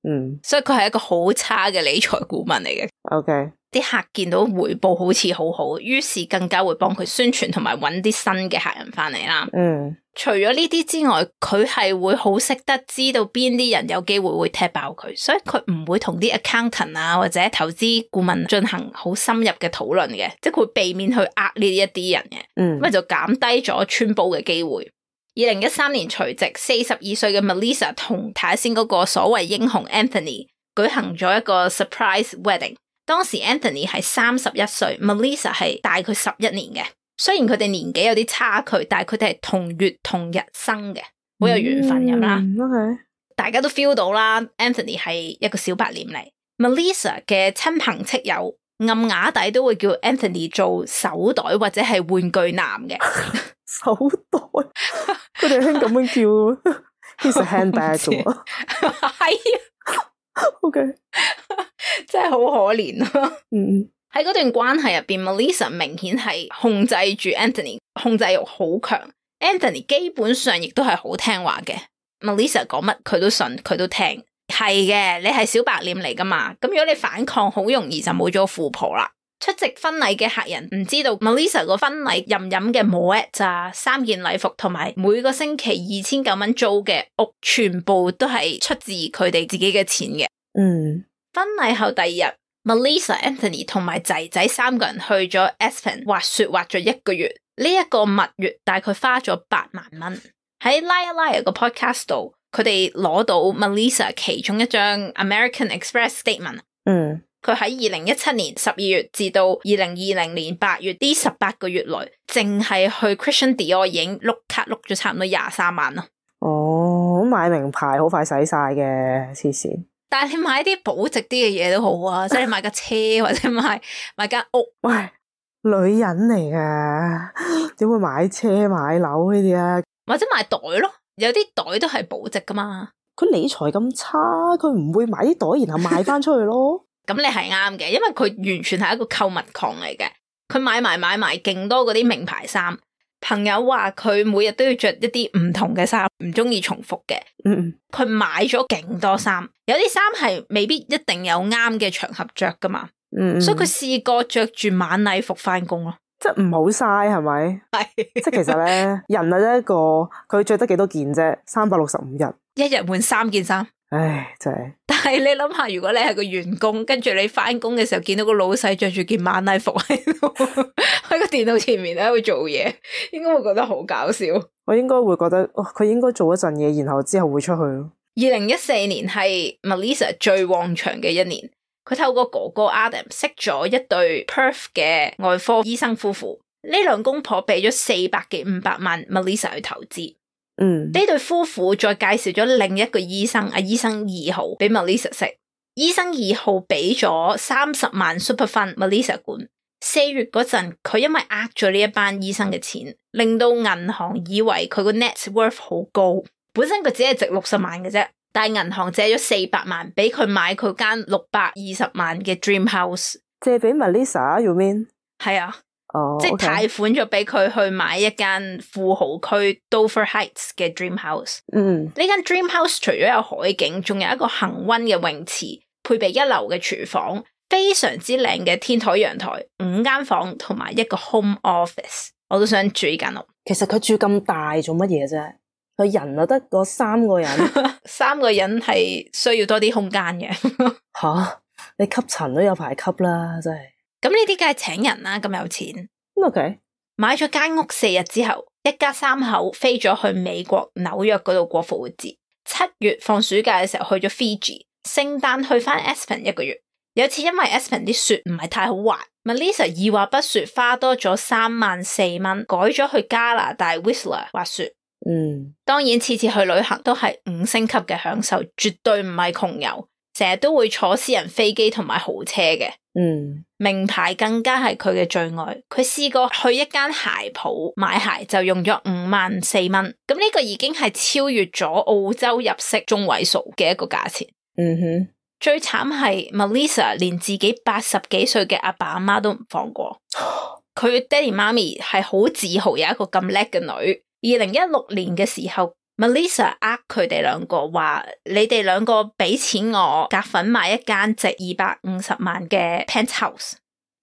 嗯，所以佢係一個好差嘅理財顧問嚟嘅。OK。啲客見到回報好似好好，於是更加會幫佢宣傳同埋揾啲新嘅客人翻嚟啦。嗯，除咗呢啲之外，佢係會好識得知道邊啲人有機會會踢爆佢，所以佢唔會同啲 accountant 啊或者投資顧問進行好深入嘅討論嘅，即係佢會避免去呃呢一啲人嘅。嗯，咁咪就減低咗穿煲嘅機會。二零一三年除夕，四十二歲嘅 Melissa 同睇下先嗰個所謂英雄 Anthony 舉行咗一個 surprise wedding。當時 Anthony 係三十一歲 ，Melissa 係大佢十一年嘅。雖然佢哋年紀有啲差距，但係佢哋係同月同日生嘅，好有緣分咁啦。嗯 okay. 大家都 feel 到啦 ，Anthony 係一個小白臉嚟。Melissa 嘅親朋戚友暗啞底都會叫 Anthony 做手袋或者係玩具男嘅。手袋，佢哋興咁樣叫，He's a handbag 啫喎。係。OK，真係好可憐咯。嗯，喺嗰段關係入邊 ，Melissa 明顯係控制住 Anthony， 控制欲好強。Anthony 基本上亦都係好聽話嘅。Melissa 講乜佢都信，佢都聽。係嘅，你係小白臉嚟噶嘛，咁如果你反抗，好容易就冇咗富婆啦。出席婚禮嘅客人唔知道 Melissa 個婚禮任飲嘅 Moet 咋，三件禮服同埋每個星期二千九蚊租嘅屋，全部都係出自佢哋自己嘅錢嘅。嗯，婚禮後第二日 Melissa、Anthony 同埋仔仔三個人去咗 Aspen 滑雪，滑咗一個月。呢、這、一個蜜月大概花咗八萬蚊。喺 Liar Liar 個 podcast 度，佢哋攞到 Melissa 其中一張 American Express statement。嗯。佢喺二零一七年十二月至到二零二零年八月呢十八個月內，淨係去 Christian Dior 已經碌卡碌咗差唔多廿三萬咯。哦，買名牌好快使晒嘅，黐線。但係你買啲保值啲嘅嘢都好啊，即係你買架車或者買買間屋。喂，女人嚟噶，點會買車買樓呢啲啊？或者買袋咯，有啲袋都係保值噶嘛。佢理財咁差，佢唔會買啲袋然後賣翻出去咯。咁你係啱嘅，因為佢完全係一個購物狂嚟嘅，佢買埋買埋勁多嗰啲名牌衫。朋友話佢每日都要着一啲唔同嘅衫，唔中意重複嘅。嗯，佢買咗勁多衫，有啲衫係未必一定有啱嘅場合着噶嘛。嗯，所以佢試過着住晚禮服翻工咯。即係唔好嘥係咪？係，即係其實咧，人係一個佢着得幾多件啫？三百六十五日，一日換三件衫。唉，真係。但係你諗下，如果你係個員工，跟住你翻工嘅時候見到個老細着住件晚禮服喺度喺個電腦前面喺度做嘢，應該會覺得好搞笑。我應該會覺得，哦，佢應該做一陣嘢，然後之後會出去咯。二零一四年係 Melissa 最旺場嘅一年，佢透過哥哥 Adam 識咗一對 Perth 嘅外科醫生夫婦，呢兩公婆俾咗四百幾五百萬 Melissa 去投資。嗯，呢對夫婦再介紹咗另一個醫生，阿醫生二號俾 Melissa 識。醫生二號俾咗三十萬 super fund Melissa 管。四月嗰陣，佢因為呃咗呢一班醫生嘅錢，令到銀行以為佢個 net worth 好高。本身佢只係值六十萬嘅啫，但係銀行借咗四百萬俾佢買佢間六百二十萬嘅 dream house。借俾 Melissa，you mean？係啊。哦，即係 okay. 貸款咗俾佢去買一間富豪區 Dover Heights 嘅 Dream House。嗯，呢間 Dream House 除咗有海景，仲有一個恆溫嘅泳池，配備一流嘅廚房，非常之靚嘅天台陽台，五間房同埋一個 home office。我都想住呢間屋。其實佢住咁大做乜嘢啫？佢人就得嗰三個人，三個人係需要多啲空間嘅。吓，你吸塵都有排吸啦，真係。咁呢啲梗係請人啦，咁有錢。OK，買咗間屋四日之後，一家三口飛咗去美國紐約嗰度過復活節。七月放暑假嘅時候去咗 Fiji， 聖誕去翻 Aspen 一個月。有次因為 Aspen 啲雪唔係太好滑 ，Melissa 二話不說花多咗三萬四蚊，改咗去加拿大 Whistler 滑雪。嗯，當然次次去旅行都係五星級嘅享受，絕對唔係窮遊，成日都會坐私人飛機同埋豪車嘅。嗯，名牌更加係佢嘅最愛。佢試過去一間鞋鋪買鞋就用咗五萬四蚊，咁呢個已經係超越咗澳洲入息中位數嘅一個價錢。嗯哼，最慘係 Melissa 連自己八十幾歲嘅阿爸阿媽都唔放過。佢爹哋媽咪係好自豪有一個咁叻嘅女。二零一六年嘅時候，Melissa 呃佢哋兩個話：你哋兩個俾錢我夾份買一間值二百五十萬嘅 penthouse。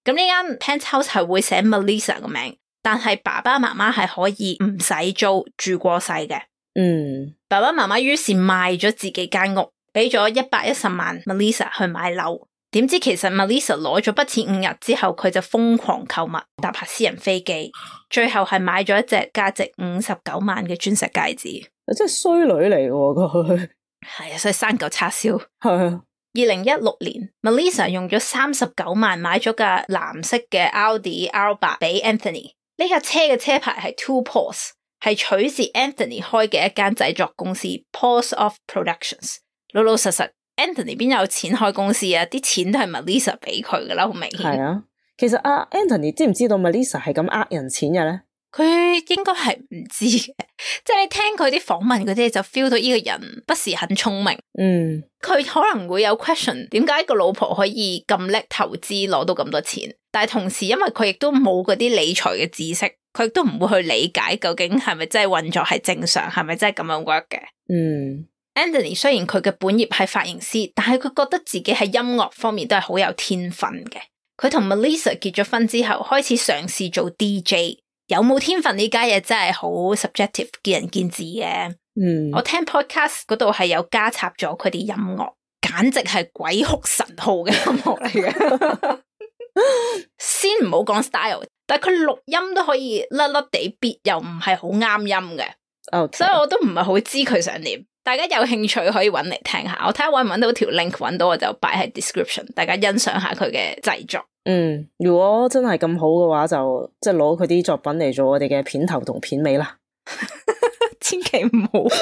咁呢間 penthouse 係會寫 Melissa 個名，但係爸爸媽媽係可以唔使租住過世嘅。嗯，爸爸媽媽於是賣咗自己間屋，俾咗一百一十萬 Melissa 去買樓。點知其實 Melissa 攞咗筆錢五日之後，佢就瘋狂購物，搭下私人飛機，最後係買咗一隻價值五十九萬嘅鑽石戒指。真係衰女嚟喎佢。係啊，所以生嚿叉燒。係啊。二零一六年 ，Melissa 用咗三十九萬買咗架藍色嘅 Audi R 八俾 Anthony。呢架車嘅車牌係 Two Paws， 係取自 Anthony 開嘅一間製作公司 Paws Off Productions。老老實實 ，Anthony 邊有錢開公司啊？啲錢都係 Melissa 俾佢噶啦，好明顯。係啊，其實阿 Anthony 知唔知道 Melissa 係咁呃人錢嘅咧？佢應該係唔知嘅，即係你聽佢啲訪問嗰啲就 feel 到呢個人不是很聰明。嗯，佢可能會有 question，點解個老婆可以咁叻投資攞到咁多錢？但係同時因為佢亦都冇嗰啲理財嘅知識，佢亦都唔會去理解究竟係咪真係運作係正常，係咪真係咁樣 work 嘅。嗯 Anthony 雖然佢嘅本業係髮型師，但係佢覺得自己喺音樂方面都係好有天分嘅。佢同 Melissa 結咗婚之後，開始嘗試做 D J。有冇天分呢家嘢真係好 subjective， 見仁見智嘅。嗯，我聽 podcast 嗰度係有加插咗佢啲音樂，簡直係鬼哭神號嘅音樂嚟嘅。先唔好講 style， 但係佢錄音都可以甩甩地 beat， 又唔係好啱音嘅。Okay. 所以我都唔係好知佢想點。大家有興趣可以搵嚟聽下，我睇下搵唔搵到條 link， 搵到我就擺喺 description， 大家欣賞下佢嘅製作。嗯，如果真係咁好嘅話，就即係攞佢啲作品嚟做我哋嘅片頭同片尾啦。千祈唔好。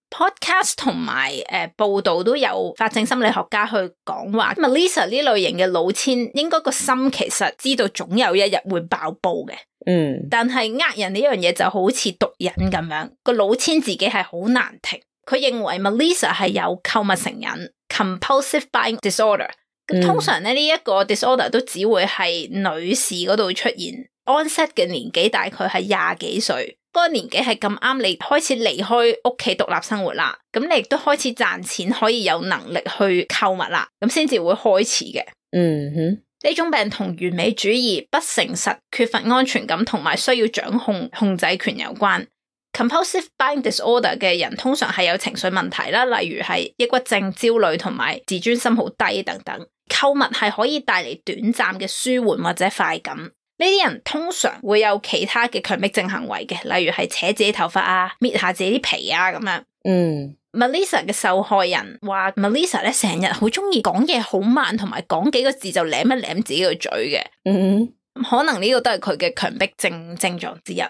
Podcast 同埋誒報道都有法證心理學家去講話 Melissa 呢類型嘅老千應該個心其實知道總有一日會爆煲嘅。嗯，但係呃人呢樣嘢就好似毒癮咁樣，個老千自己係好難停。佢認為 Melissa 係有購物成癮 compulsive buying disorder。咁通常咧呢一個 disorder 都只會係女士嗰度出現，onset嘅年紀大概係廿幾歲。嗰個年紀係咁啱你開始離開屋企獨立生活啦，咁你亦都開始賺錢，可以有能力去購物啦，咁先至會開始嘅。嗯哼，呢種病同完美主義、不誠實、缺乏安全感同埋需要掌控控制權有關。Compulsive buying disorder 嘅人通常係有情緒問題啦，例如係抑鬱症、焦慮同埋自尊心好低等等。購物係可以帶嚟短暫嘅舒緩或者快感。呢啲人通常會有其他嘅強迫症行為嘅，例如係扯自己頭髮啊、搣下自己啲皮啊咁樣。嗯 Melissa 嘅受害人話 Melissa 咧成日好中意講嘢好慢，同埋講幾個字就舐一舐自己個嘴嘅。嗯，可能呢個都係佢嘅強迫症症狀之一。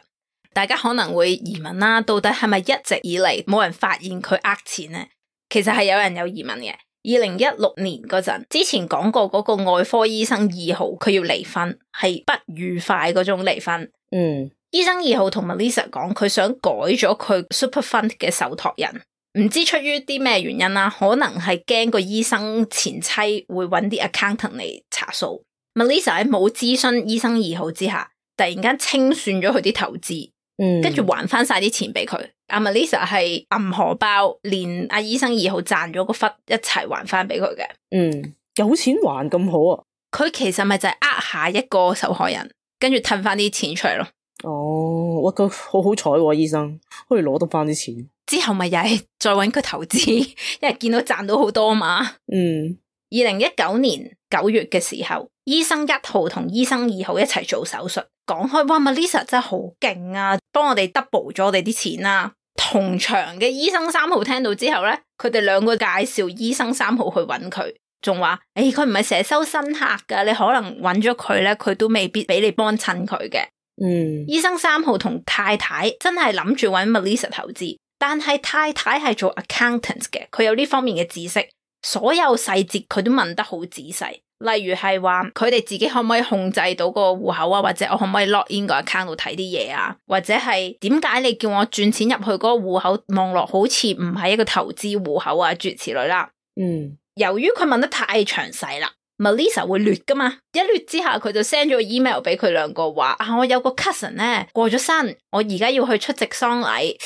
大家可能會疑問啦，到底係咪一直以嚟冇人發現佢呃錢呢？其實係有人有疑問嘅。二零一六年嗰陣，之前講過嗰個外科醫生二號，佢要離婚，係不愉快嗰種離婚。嗯，醫生二號同 Melissa 講，佢想改咗佢 Super Fund 嘅受託人，唔知出於啲咩原因啦，可能係驚個醫生前妻會揾啲 accountant 嚟查數。Melissa 喺冇諮詢醫生二號之下，突然間清算咗佢啲投資。嗯，跟住還翻晒啲錢俾佢。阿 Melissa 係揞荷包，連阿醫生二號賺咗個忽一齊還翻俾佢嘅。嗯，有錢還咁好啊？佢其實咪就係呃下一個受害人，跟住褪翻啲錢出嚟咯。哦，哇，佢好好彩喎，醫生可以攞得翻啲錢。之後咪又係再搵佢投資，因為見到賺到好多嘛。嗯，二零一九年九月嘅時候，醫生一號同醫生二號一齊做手術。講開，哇 Melissa 真係好勁啊，幫我哋 double 咗我哋啲錢啦。同場嘅醫生三號聽到之後咧，佢哋兩個介紹醫生三號去揾佢，仲話誒佢唔係成日收新客噶，你可能揾咗佢咧，佢都未必俾你幫襯佢嘅。嗯，醫生三號同太太真係諗住揾 Melissa 投資，但係太太係做 accountant 嘅，佢有呢方面嘅知識，所有細節佢都問得好仔細。例如係話佢哋自己可唔可以控制到個戶口啊，或者我可唔可以 log in 個 account 度睇啲嘢啊，或者係點解你叫我轉錢入去嗰個戶口，望落好似唔係一個投資戶口啊，諸如此類啦。嗯，由於佢問得太詳細啦 ，Melissa 會劣噶嘛，一劣之下佢就 send 咗個 email 俾佢兩個話啊，我有個 cousin 咧過咗身，我而家要去出席喪禮，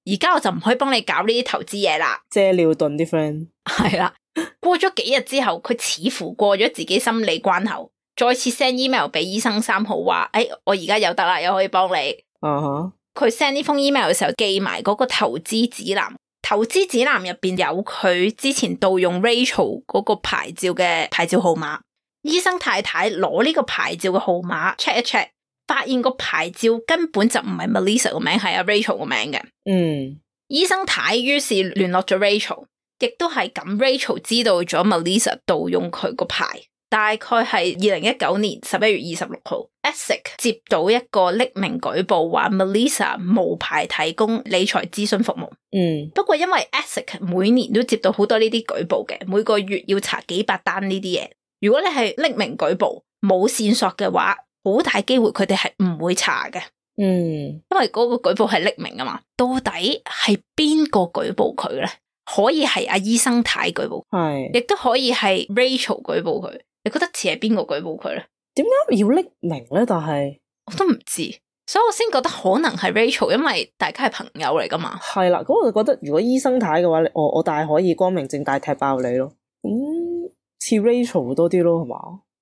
而家我就唔可以幫你搞呢啲投資嘢啦。借尿遁啲 friend 係啦。過咗幾日之後，佢似乎過咗自己心理關口，再次 send email 俾醫生三號話，誒、哎，我而家有得啦，又可以幫你。啊哈！佢 send 呢封 email 嘅時候，寄埋嗰個投資指南。投資指南入邊有佢之前盜用 Rachel 嗰個牌照嘅牌照號碼。醫生太太攞呢個牌照嘅號碼 check 一 check， 發現個牌照根本就唔係 Melissa 個名，係阿 Rachel 個名嘅。嗯，醫生太於是聯絡咗 Rachel。亦都係咁 Rachel 知道咗 Melissa 盜用佢個牌，大概係二零一九年十一月二十六號 Essex 接到一個匿名舉報，話 Melissa 無牌提供理財諮詢服務。嗯，不過因為 Essex 每年都接到好多呢啲舉報嘅，每個月要查幾百單呢啲嘢。如果你係匿名舉報冇線索嘅話，好大機會佢哋係唔會查嘅。嗯，因為嗰個舉報係匿名啊嘛，到底係邊個舉報佢咧？可以係阿醫生太舉報，係，亦都可以係 Rachel 舉報佢。你覺得似係邊個舉報佢咧？點解要匿名咧？但係我都唔知，所以我先覺得可能係 Rachel， 因為大家係朋友嚟噶嘛。係啦，咁我就覺得如果醫生太嘅話，我我大可以光明正大踢爆你咯。咁似 Rachel 多啲咯，係嘛？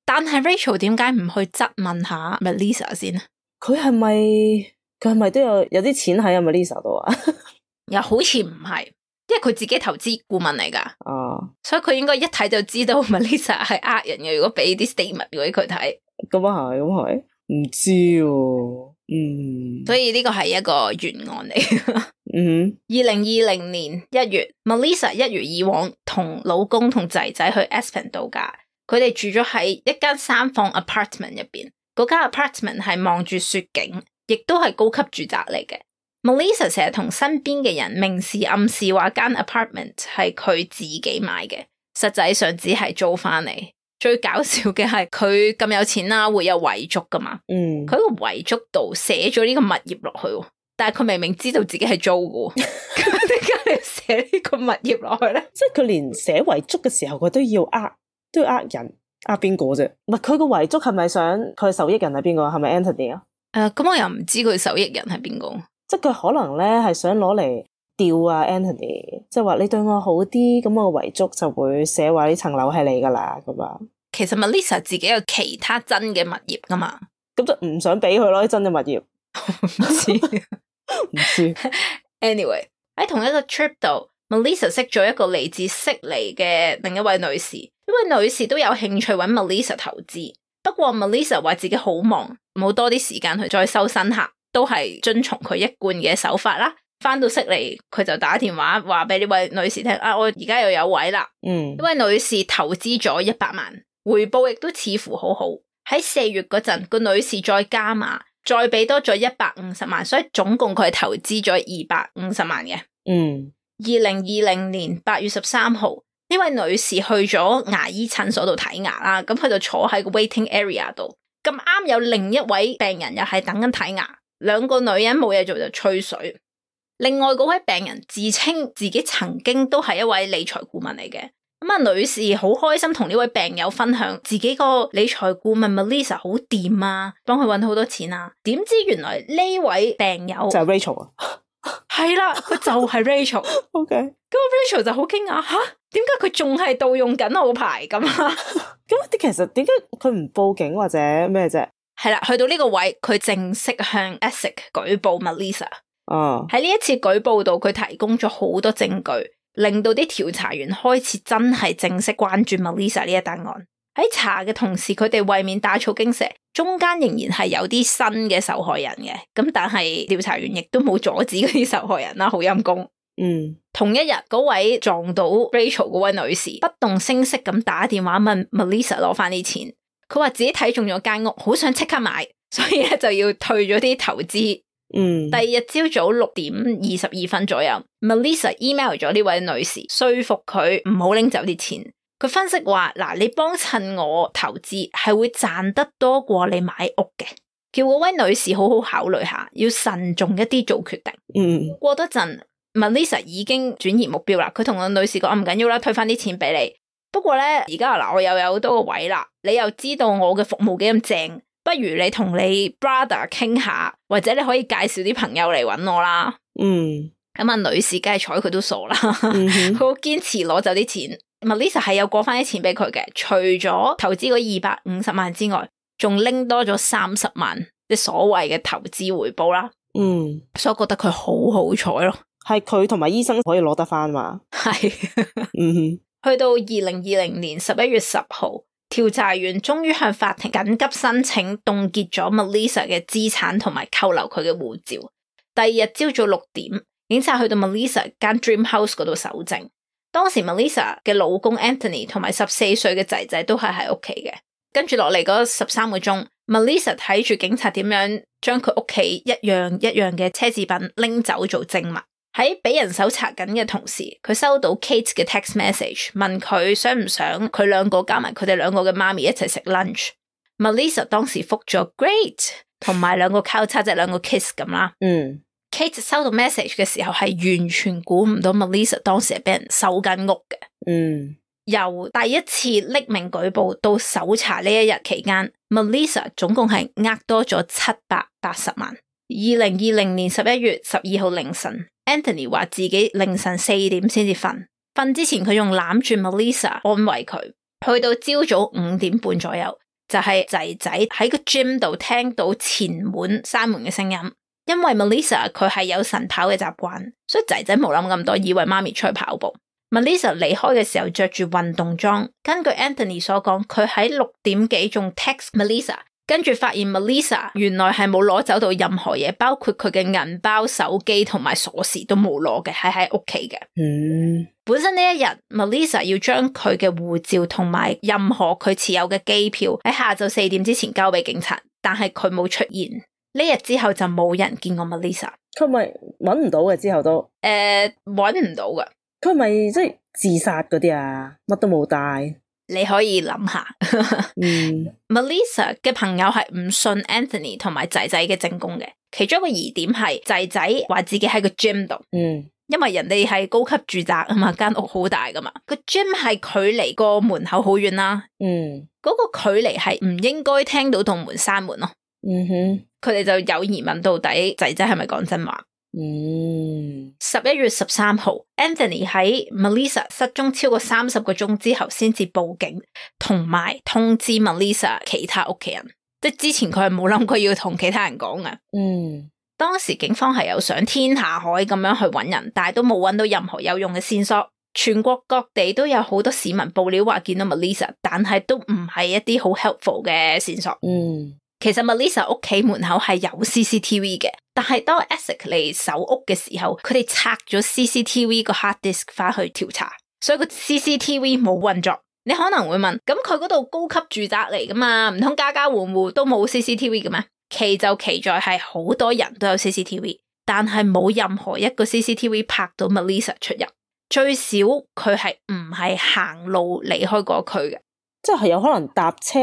但係 Rachel 點解唔去質問下 Melissa 先？佢係咪佢係咪都有有啲錢喺阿 Melissa 度啊？又好似唔係，因為佢自己投資顧問嚟噶。啊，所以佢應該一睇就知道 Melissa 係呃人嘅。如果俾啲 statement 俾佢睇，咁啊係，咁係，唔知喎、啊。嗯，所以呢個係一個懸案嚟。嗯，二零二零年一月 ，Melissa 一如以往同老公同仔仔去 Aspen 度假，佢哋住咗喺一間三房 apartment 入邊。嗰間 apartment 係望住雪景，亦都係高級住宅嚟嘅。Melissa 成日同身邊嘅人明示暗示話間 apartment 係佢自己買嘅，實際上只係租翻嚟。最搞笑嘅係佢咁有錢啦，會有遺囑噶嘛？嗯，佢個遺囑度寫咗呢個物業落去，但係佢明明知道自己係租嘅，咁點解你寫呢個物業落去咧？即係佢連寫遺囑嘅時候，佢都要呃，都要呃人，呃邊個啫？唔係佢個遺囑係咪想佢受益人係邊個？係咪 Anthony 啊？誒、呃，咁我又唔知佢受益人係邊個，即係佢可能咧係想攞嚟吊啊 Anthony，即係話你對我好啲，咁我遺囑就會寫話呢層樓係你噶啦咁啊。其實 Melissa 自己有其他真嘅物業噶嘛，咁就唔想俾佢咯，真嘅物業。唔知唔知。Anyway 喺同一個 trip 度 ，Melissa 識咗一個嚟自悉尼嘅另一位女士，呢位女士都有興趣揾 Melissa 投資，不過 Melissa 話自己好忙，冇多啲時間去再收新客，都係遵從佢一貫嘅手法啦。翻到悉尼，佢就打電話話俾呢位女士聽，啊，我而家又有位啦。嗯，呢位女士投資咗一百萬。回報亦都似乎好好，喺四月嗰陣，個女士再加碼，再俾多咗一百五十萬，所以總共佢係投資咗二百五十萬嘅。嗯，二零二零年八月十三號，呢位女士去咗牙醫診所度睇牙啦，咁佢就坐喺個 waiting area 度，咁啱有另一位病人又係等緊睇牙，兩個女人冇嘢做就吹水。另外嗰位病人自稱自己曾經都係一位理財顧問嚟嘅。咁啊，女士好開心同呢位病友分享自己個理財顧問 Melissa 好掂啊，幫佢搵好多錢啊。點知原來呢位病友就係 Rachel 啊，係啦，佢就係 Rachel。OK，咁 Rachel 就好驚訝，吓，點解佢仲係盜用緊我個牌咁啊？咁啲其實點解佢唔報警或者咩啫？係啦，去到呢個位，佢正式向 Essex 舉報 Melissa。哦，喺呢一次舉報度，佢提供咗好多證據。令到啲調查員開始真係正式關注 Melissa 呢一單案。喺查嘅同時，佢哋為免打草驚蛇，中間仍然係有啲新嘅受害人嘅。咁但係調查員亦都冇阻止嗰啲受害人啦，好陰功。嗯，同一日，嗰位撞到 Rachel 嗰位女士不動聲色咁打電話問 Melissa 攞翻啲錢。佢話自己睇中咗間屋，好想即刻買，所以咧就要退咗啲投資。嗯，第二日朝早六點二十二分左右 ，Melissa email 咗呢位女士，說服佢唔好拎走啲錢。佢分析話：嗱，你幫襯我投資係會賺得多過你買屋嘅，叫嗰位女士好好考慮下，要慎重一啲做決定。嗯，過多陣 ，Melissa 已經轉移目標啦。佢同個女士講：唔緊要啦，退翻啲錢俾你。不過咧，而家嗱，我又有好多個位啦，你又知道我嘅服務幾咁正。不如你同你 brother 傾下，或者你可以介紹啲朋友嚟搵我啦。嗯，咁啊，女士梗係睬佢都傻啦，佢好、嗯、堅持攞走啲錢。Melissa 係有過翻啲錢俾佢嘅，除咗投資嗰二百五十萬之外，仲拎多咗三十萬，即所謂嘅投資回報啦。嗯，所以我覺得佢好好彩咯。係佢同埋醫生可以攞得翻嘛？係，嗯，去到二零二零年十一月十號。調查員終於向法庭緊急申請凍結咗 Melissa 嘅資產同埋扣留佢嘅護照。第二日朝早六點，警察去到 Melissa 間 Dream House 嗰度搜證。當時 Melissa 嘅老公 Anthony 同埋十四歲嘅仔仔都係喺屋企嘅。跟住落嚟嗰十三個鐘 ，Melissa 睇住警察點樣將佢屋企一樣一樣嘅奢侈品拎走做證物。喺俾人搜查緊嘅同時，佢收到 Kate 嘅 text message， 問佢想唔想佢兩個加埋佢哋兩個嘅媽咪一齊食 lunch。Melissa 當時覆咗 great， 同埋兩個交叉即係兩個 kiss 咁啦。嗯 ，Kate 收到 message 嘅時候係完全估唔到 Melissa 當時係俾人搜緊屋嘅。嗯，由第一次匿名舉報到搜查呢一日期間 ，Melissa 總共係呃多咗七百八十萬。二零二零年十一月十二號凌晨 Anthony 話自己凌晨四點先至瞓，瞓之前佢用攬住 Melissa 安慰佢，去到朝早五點半左右，就係仔仔喺個 gym 度聽到前門閂門嘅聲音。因為 Melissa 佢係有晨跑嘅習慣，所以仔仔冇諗咁多，以為媽咪出去跑步。Melissa 離開嘅時候着住運動裝，根據 Anthony 所講，佢喺六點幾仲 text Melissa， 跟住發現 Melissa 原來係冇攞走到任何嘢，包括佢嘅銀包、手機同埋鎖匙都冇攞嘅，係喺屋企嘅。嗯，本身呢一日 Melissa 要將佢嘅護照同埋任何佢持有嘅機票喺下晝四點之前交俾警察，但係佢冇出現。呢日之後就冇人見過 Melissa。佢咪搵唔到嘅之後都？誒，搵唔到噶。佢咪即係自殺嗰啲啊？乜都冇帶。你可以諗下。嗯 Melissa 嘅朋友係唔信 Anthony 同埋仔仔嘅證供嘅，其中一個疑點係仔仔話自己喺個 gym 度。嗯，因為人哋係高級住宅啊嘛，間屋好大噶嘛，個 gym 係距離個門口好遠啦。嗯，嗰個距離係唔應該聽到棟門閂門咯。嗯哼。佢哋就有疑問，到底仔仔係咪講真話？嗯，十一月十三號 Anthony 喺 Melissa 失蹤超過三十個鐘之後先至報警，同埋通知 Melissa 其他屋企人。即係之前佢係冇諗過要同其他人講嘅。嗯，當時警方係有上天下海咁樣去揾人，但係都冇揾到任何有用嘅線索。全國各地都有好多市民報料話見到 Melissa， 但係都唔係一啲好 helpful 嘅線索。嗯。其實 Melissa 屋企門口係有 C C T V 嘅，但係當 Essex 嚟搜屋嘅時候，佢哋拆咗 C C T V 個 hard disk 翻去調查，所以個 C C T V 冇運作。你可能會問，咁佢嗰度高級住宅嚟噶嘛，唔通家家戶戶都冇 C C T V 嘅咩？奇就奇在係好多人都有 C C T V， 但係冇任何一個 C C T V 拍到 Melissa 出入，最少佢係唔係行路離開嗰區嘅，即係有可能搭車。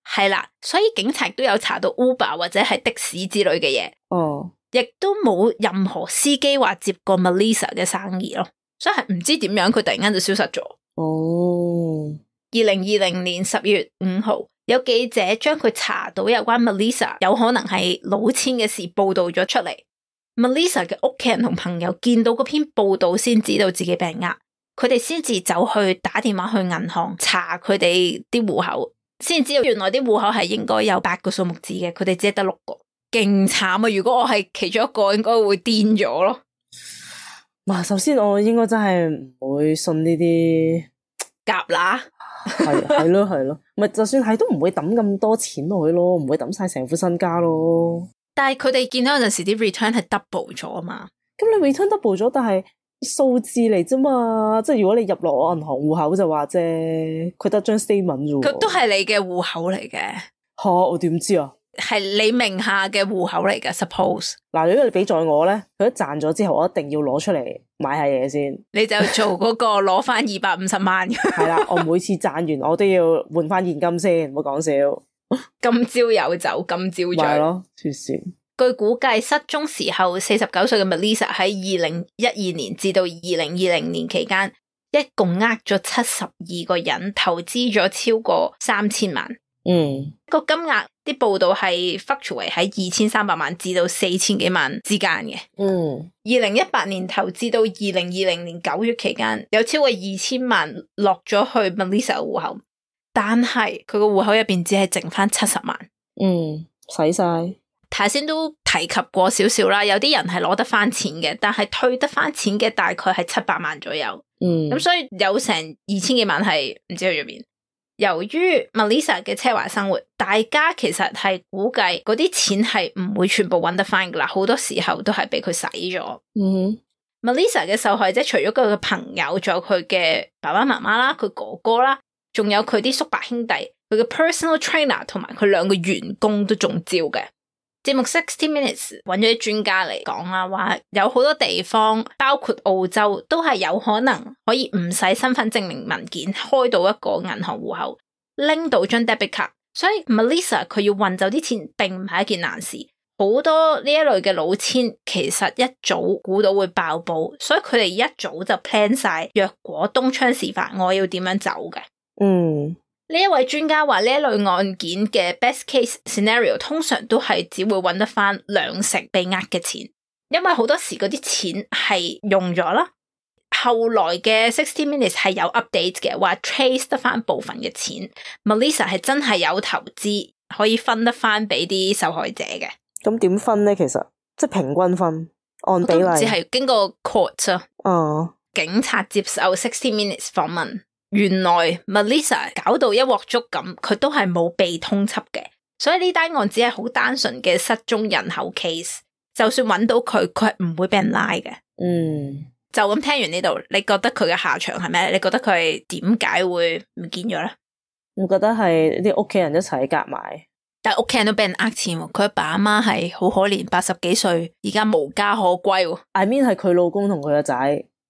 係啦，所以警察都有查到 Uber 或者係的士之類嘅嘢，哦，亦都冇任何司機話接過 Melissa 嘅生意咯，所以係唔知點樣佢突然間就消失咗。哦，二零二零年十月五號，有記者將佢查到有關 Melissa 有可能係老千嘅事報道咗出嚟。Melissa 嘅屋企人同朋友見到嗰篇報道先知道自己被呃，佢哋先至走去打電話去銀行查佢哋啲戶口。先知道原來啲戶口係應該有八個數目字嘅，佢哋只係得六個，勁慘啊！如果我係其中一個，應該會癲咗咯。嗱，首先我應該真係唔會信呢啲夾乸，係係咯係咯，咪就算係都唔會抌咁多錢落去咯，唔會抌晒成副身家咯。但係佢哋見到有陣時啲 return 係 double 咗啊嘛。咁你 return double 咗，但係數字嚟啫嘛，即係如果你入落我銀行戶口就話啫，佢得張 statement 啫。佢都係你嘅戶口嚟嘅。吓，我點知啊？係你名下嘅戶口嚟嘅 suppose。嗱，如果你俾在我咧，佢一賺咗之後，我一定要攞出嚟買下嘢先。你就做嗰個攞翻二百五十萬。係啦，我每次賺完我都要換翻現金先，唔好講笑。今朝有酒今朝醉。係咯，黐線。據估計，失蹤時候四十九歲嘅 Melissa 喺二零一二年至到二零二零年期間，一共呃咗七十二個人，投資咗超過三千萬。嗯，個金額啲報道係 fluctuate 喺二千三百萬至到四千幾萬之間嘅。嗯，二零一八年投資到二零二零年九月期間，有超過二千萬落咗去 Melissa 嘅戶口，但係佢個戶口入邊只係剩翻七十萬。嗯，使晒。頭先都提及過少少啦，有啲人係攞得翻錢嘅，但係退得翻錢嘅大概係七百萬左右。嗯，咁所以有成二千幾萬係唔知去咗邊。由於 Melissa 嘅奢華生活，大家其實係估計嗰啲錢係唔會全部揾得翻噶啦，好多時候都係俾佢使咗。嗯 Melissa 嘅受害者除咗佢嘅朋友，仲有佢嘅爸爸媽媽啦，佢哥哥啦，仲有佢啲叔伯兄弟，佢嘅 personal trainer 同埋佢兩個員工都中招嘅。節目sixty minutes 揾咗啲專家嚟講啦，話有好多地方，包括澳洲，都係有可能可以唔使身份證明文件開到一個銀行戶口，拎到張 debit card。所以 Melissa 佢要運走啲錢，並唔係一件難事。好多呢一類嘅老千，其實一早估到會爆煲，所以佢哋一早就 plan 晒，若果東窗事發，我要點樣走嘅。嗯，呢一位專家話呢一類案件嘅 best case scenario 通常都係只會揾得翻兩成被呃嘅錢，因為好多時嗰啲錢係用咗啦。後來嘅sixty minutes 係有 update 嘅，話 trace 得翻部分嘅錢 Melissa 係真係有投資可以分得翻俾啲受害者嘅。咁點分咧？其實即係平均分按比例，只係經過 court 啊。哦，警察接受sixty minutes 訪問，原來 Melissa 搞到一鑊粥咁，佢都係冇被通緝嘅，所以呢單案只係好單純嘅失蹤人口 case， 就算揾到佢，佢係唔會俾人拉嘅。嗯。就咁聽完呢度，你覺得佢嘅下場係咩？你覺得佢係點解會唔見咗咧？我覺得係啲屋企人一齊夾埋，但係屋企人都俾人呃錢喎。佢阿爸阿媽係好可憐，八十幾歲，而家無家可歸。I mean 係佢老公同佢個仔，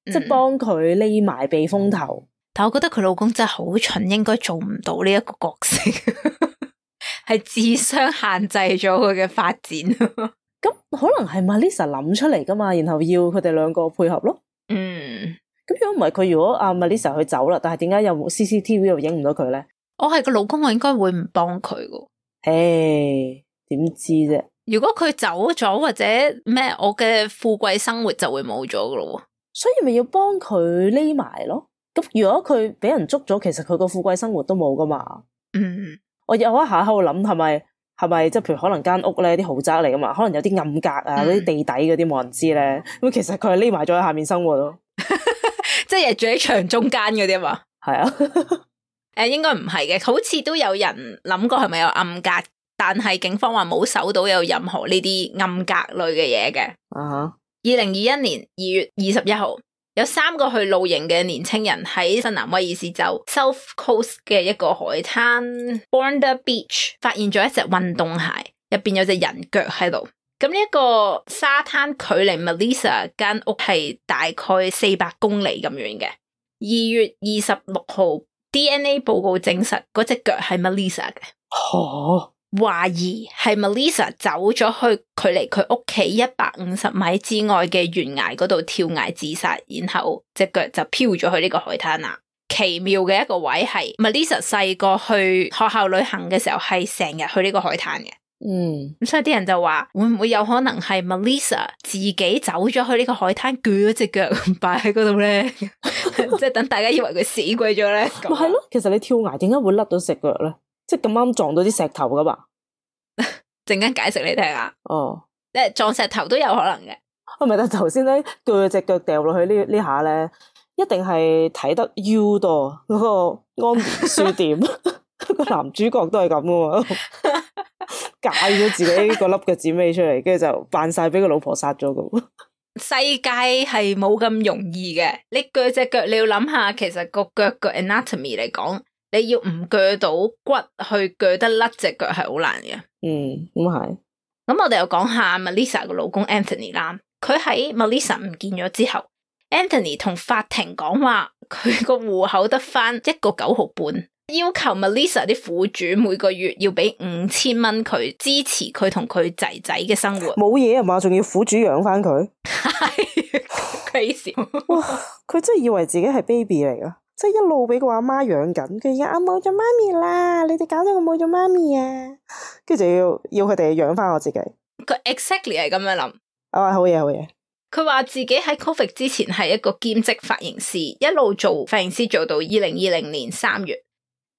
嗯、即係幫佢匿埋避風頭。但我覺得佢老公真係好蠢，應該做唔到呢一個角色，係智商限制咗佢嘅發展。咁可能係 Melissa 諗出嚟噶嘛，然後要佢哋兩個配合咯。嗯，咁如果唔係佢，如果阿 Melissa 去走啦，但係點解有冇 C C T V 又影唔到佢咧？我係個老公，我應該會唔幫佢噶。誒，點知啫？如果佢走咗或者咩，我嘅富貴生活就會冇咗噶咯。所以咪要幫佢匿埋咯。咁如果佢俾人捉咗，其實佢個富貴生活都冇噶嘛。嗯，我有一下喺度諗，係咪係咪即係譬如可能間屋咧啲豪宅嚟噶嘛，可能有啲暗格啊，嗰啲、嗯、地底嗰啲冇人知咧。咁其實佢係匿埋咗喺下面生活咯，即係住喺牆中間嗰啲嘛。係啊，誒，應該唔係嘅，好似都有人諗過係咪有暗格，但係警方話冇搜到有任何呢啲暗格類嘅嘢嘅。啊、uh，二零二一年二月二十一號，有三個去露營嘅年青人喺新南威爾士州 South Coast 嘅一個海灘 Bondi Beach 發現咗一隻運動鞋，入邊有隻人腳喺度。咁呢一個沙灘距離 Melissa 間屋係大概四百公里咁遠嘅。二月二十六號 D N A 報告證實嗰隻腳係 Melissa 嘅。哦，懷疑係 Melissa 走咗去距離佢屋企一百五十米之外嘅懸崖嗰度跳崖自殺，然後隻腳就漂咗去呢個海灘啦。奇妙嘅一個位係 Melissa 細個去學校旅行嘅時候係成日去呢個海灘嘅。嗯，咁所以啲人就話會唔會有可能係 Melissa 自己走咗去呢個海灘鋸咗隻腳擺喺嗰度咧？即係等大家以為佢死鬼咗咧。咪係咯，其實你跳崖點解會甩到隻腳咧？即係咁啱撞到啲石頭噶嘛？陣間解釋你聽下。哦，即係撞石頭都有可能嘅。啊，唔係，但頭先咧鋸隻腳掉落去呢呢下咧，一定係睇得 U 多嗰個安眠書店個男主角都係咁噶嘛，戒咗自己個粒腳趾尾出嚟，跟住就扮晒俾個老婆殺咗咁。世界係冇咁容易嘅，你鋸隻腳，你要諗下，其實個腳個 anatomy 嚟講，你要唔鋸到骨去鋸得甩隻腳係好難嘅。嗯，咁係。咁我哋又講下 Melissa 個老公 Anthony 啦，佢喺 Melissa 唔見咗之後 ，Anthony 同法庭講話，佢個戶口得翻一個九毫半，要求 Melissa 啲苦主每個月要俾五千蚊佢支持佢同佢仔仔嘅生活。冇嘢啊嘛，仲要苦主養翻佢，係 crazy。哇！佢真係以為自己係 baby 嚟噶，即係一路俾個阿媽養緊，佢而家我冇咗媽咪啦，你哋搞到我冇咗媽咪啊，跟住就要要佢哋養翻我自己。佢 exactly 係咁樣諗。啊，好嘢好嘢。佢話自己喺 Covid 之前係一個兼職髮型師，一路做髮型師做到二零二零年三月。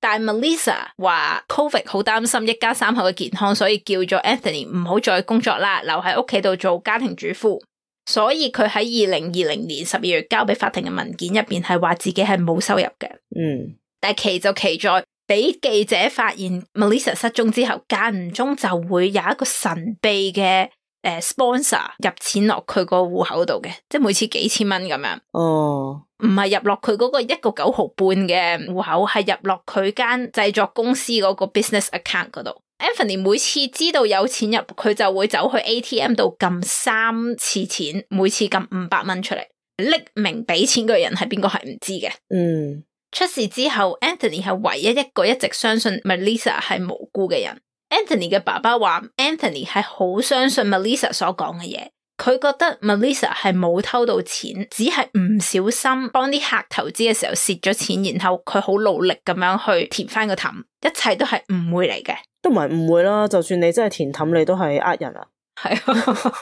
但 Melissa 話 Covid 好擔心一家三口嘅健康，所以叫咗 Anthony 唔好再工作啦，留喺屋企度做家庭主婦。所以佢喺二零二零年十二月交俾法庭嘅文件入邊係話自己係冇收入嘅。嗯，但係奇就奇在俾記者發現 Melissa 失蹤之後，間唔中就會有一個神秘嘅誒 sponsor 入錢落佢個戶口度嘅，即係每次幾千蚊咁樣。哦，唔係入落佢嗰個一個九毫半嘅戶口，係入落佢間製作公司嗰個 business account 嗰度。Anthony 每次知道有錢入，佢就會走去 A T M 度撳三次錢，每次撳五百蚊出嚟。匿名俾錢嘅人係邊個係唔知嘅。嗯，出事之後 Anthony 係唯一一個一直相信 Melissa 係無辜嘅人。Anthony 嘅爸爸話 Anthony 係好相信 Melissa 所講嘅嘢，佢覺得 Melissa 係冇偷到錢，只係唔小心幫啲客投資嘅時候蝕咗錢，然後佢好努力咁樣去填翻個氹，一切都係誤會嚟嘅。都唔係誤會啦，就算你真係填氹，你都係呃人啊。係啊，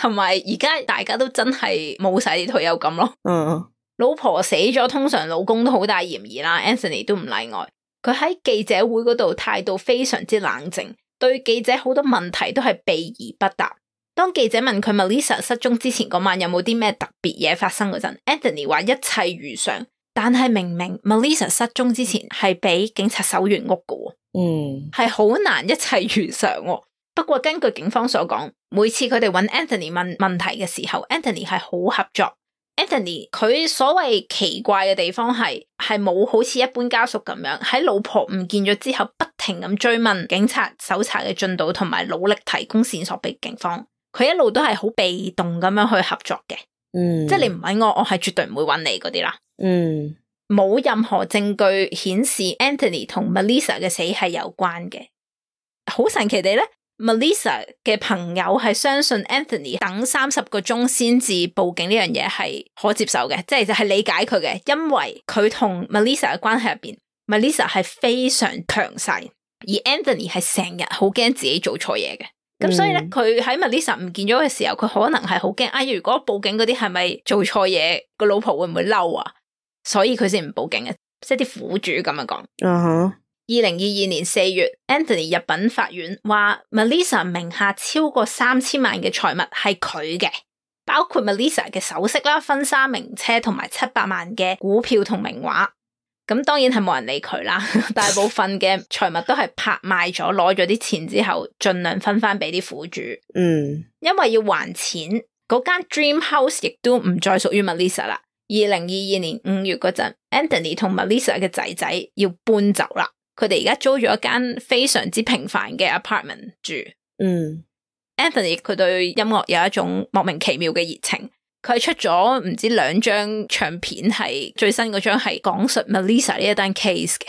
同埋而家大家都真係冇晒啲退休金咯。嗯，老婆死咗，通常老公都好大嫌疑啦 ，Anthony 都唔例外。佢喺記者會嗰度態度非常之冷靜，對記者好多問題都係避而不答。當記者問佢 Melissa 失蹤之前嗰晚有冇啲咩特別嘢發生嗰陣 ，Anthony 話一切如常，但係明明 Melissa 失蹤之前係俾警察搜完屋㗎，嗯，係好難一切如常喎。不過根據警方所講，每次佢哋揾 Anthony 問問題嘅時候 ，Anthony 係好合作。Anthony 佢所謂奇怪嘅地方係係冇好似一般家屬咁樣喺老婆唔見咗之後不停咁追問警察搜查嘅進度，同埋努力提供線索俾警方。佢一路都係好被動咁樣去合作嘅，嗯，即係你唔揾我，我係絕對唔會揾你嗰啲啦。嗯，冇任何證據顯示 Anthony 同 Melissa 嘅死係有關嘅。好神奇地咧 ，Melissa 嘅朋友係相信 Anthony 等三十個鐘先至報警呢樣嘢係可接受嘅，即係就係理解佢嘅，因為佢同 Melissa 嘅關係入邊 ，Melissa 係非常強勢，而 Anthony 係成日好驚自己做錯嘢嘅。咁所以咧，佢喺 Melissa 唔見咗嘅時候，佢可能係好驚，哎，如果報警嗰啲係咪做錯嘢，個老婆會唔會嬲啊？所以佢先唔報警嘅，即係啲苦主咁樣講。嗯哼。二零二二年四月 ，Anthony 入稟法院，話 Melissa 名下超過三千萬嘅財物係佢嘅，包括 Melissa 嘅首飾啦、婚紗名車同埋七百萬嘅股票同名畫。咁當然係冇人理佢啦，大部分嘅財物都係拍賣咗，攞咗啲錢之後，盡量分翻俾啲苦主。嗯，因為要還錢，嗰間 Dream House 亦都唔再屬於 Melissa 啦。二零二二年五月嗰陣 ，Anthony 同 Melissa 嘅仔仔要搬走啦，佢哋而家租咗一間非常之平凡嘅 apartment 住。嗯 ，Anthony 佢對音樂有一種莫名其妙嘅熱情。佢係出咗唔知兩張唱片，係最新嗰張係講述 Melissa 呢一單 case 嘅，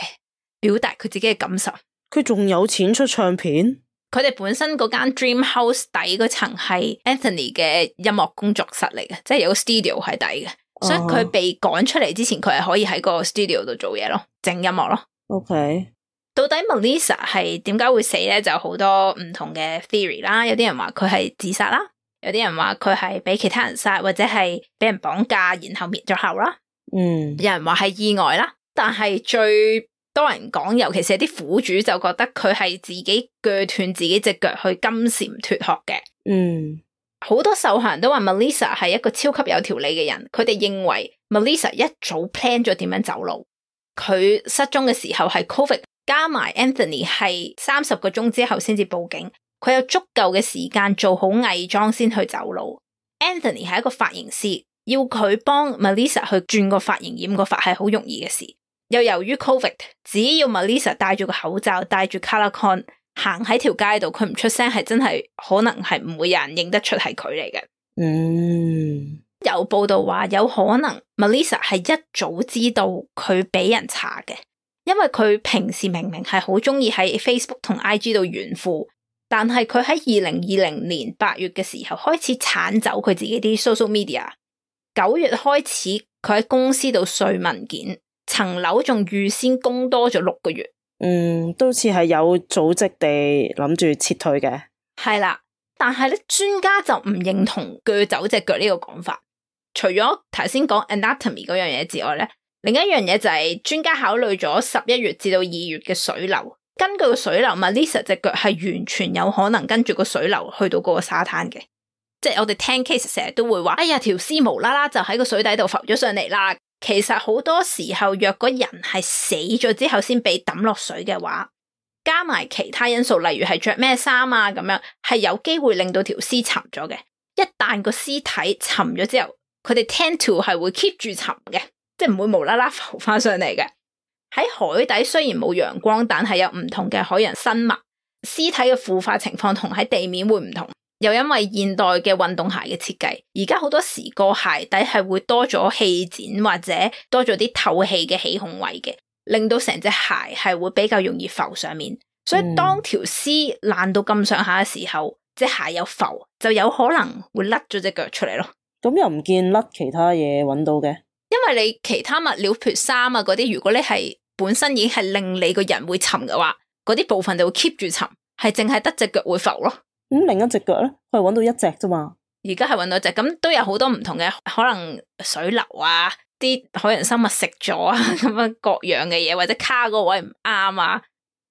表達佢自己嘅感受。佢仲有錢出唱片？佢哋本身嗰間 Dream House 底嗰層係 Anthony 嘅音樂工作室嚟嘅，即係有個 studio 喺底嘅，哦、所以佢被趕出嚟之前，佢係可以喺個 studio 度做嘢咯，整音樂咯。OK， 到底 Melissa 係點解會死咧？就好多唔同嘅 theory 啦，有啲人話佢係自殺啦。有啲人話佢係俾其他人殺，或者係俾人綁架，然後滅咗口啦。嗯，有人話係意外啦，但係最多人講，尤其是係啲苦主就覺得佢係自己鋸斷自己隻腳去金蟬脫殼嘅。嗯，好多受害人都話 Melissa 係一個超級有條理嘅人，佢哋認為 Melissa 一早 plan 咗點樣走路。佢失蹤嘅時候係 Covid， 加埋 Anthony 係三十個鐘之後先至報警。佢有足夠嘅時間做好偽裝先去走路。Anthony 係一個髮型師，要佢幫 Melissa 去轉個髮型染個髮係好容易嘅事。又由於 Covid， 只要 Melissa 戴住個口罩，戴住 color con 行喺條街度，佢唔出聲係真係可能係唔會有人認得出係佢嚟嘅。嗯，有報道話有可能 Melissa 係一早知道佢俾人查嘅，因為佢平時明明係好中意喺 Facebook 同 I G 度炫富。但係佢喺二零二零年八月嘅時候開始鏟走佢自己啲 social media， 九月開始佢喺公司度碎文件，層樓仲預先供多咗六個月。嗯，都似係有組織地諗住撤退嘅。係啦，但係咧專家就唔認同鋸走隻腳呢個講法。除咗頭先講 anatomy 嗰樣嘢之外咧，另一樣嘢就係專家考慮咗十一月至到二月嘅水流。根據個水流 ，Melissa 隻腳係完全有可能跟住個水流去到嗰個沙灘嘅。即係我哋聽 case 成日都會話，哎呀條屍無啦啦就喺個水底度浮咗上嚟啦。其實好多時候，若果人係死咗之後先被抌落水嘅話，加埋其他因素，例如係着咩衫啊咁樣，係有機會令到條屍沉咗嘅。一旦個屍體沉咗之後，佢哋 tend to 係會 keep 住沉嘅，即係唔會無啦啦浮翻上嚟嘅。喺海底雖然冇陽光，但係有唔同嘅海洋生物，屍體嘅腐化情況同喺地面會唔同。又因為現代嘅運動鞋嘅設計，而家好多時個鞋底係會多咗氣墊或者多咗啲透氣嘅起孔位嘅，令到成隻鞋係會比較容易浮上面。所以當條屍爛到咁上下嘅時候，隻鞋有浮，就有可能會甩咗隻腳出嚟咯。咁又唔見甩其他嘢揾到嘅，因為你其他物料譬如衫啊嗰啲，如果你係本身已經係令你個人會沉嘅話，嗰啲部分就會 keep 住沉，係淨係得隻腳會浮咯。咁、嗯、另一隻腳咧，佢係揾到一隻啫嘛。而家係揾到一隻，咁都有好多唔同嘅，可能水流啊，啲海洋生物食咗啊，咁樣各樣嘅嘢，或者卡嗰個位唔啱啊。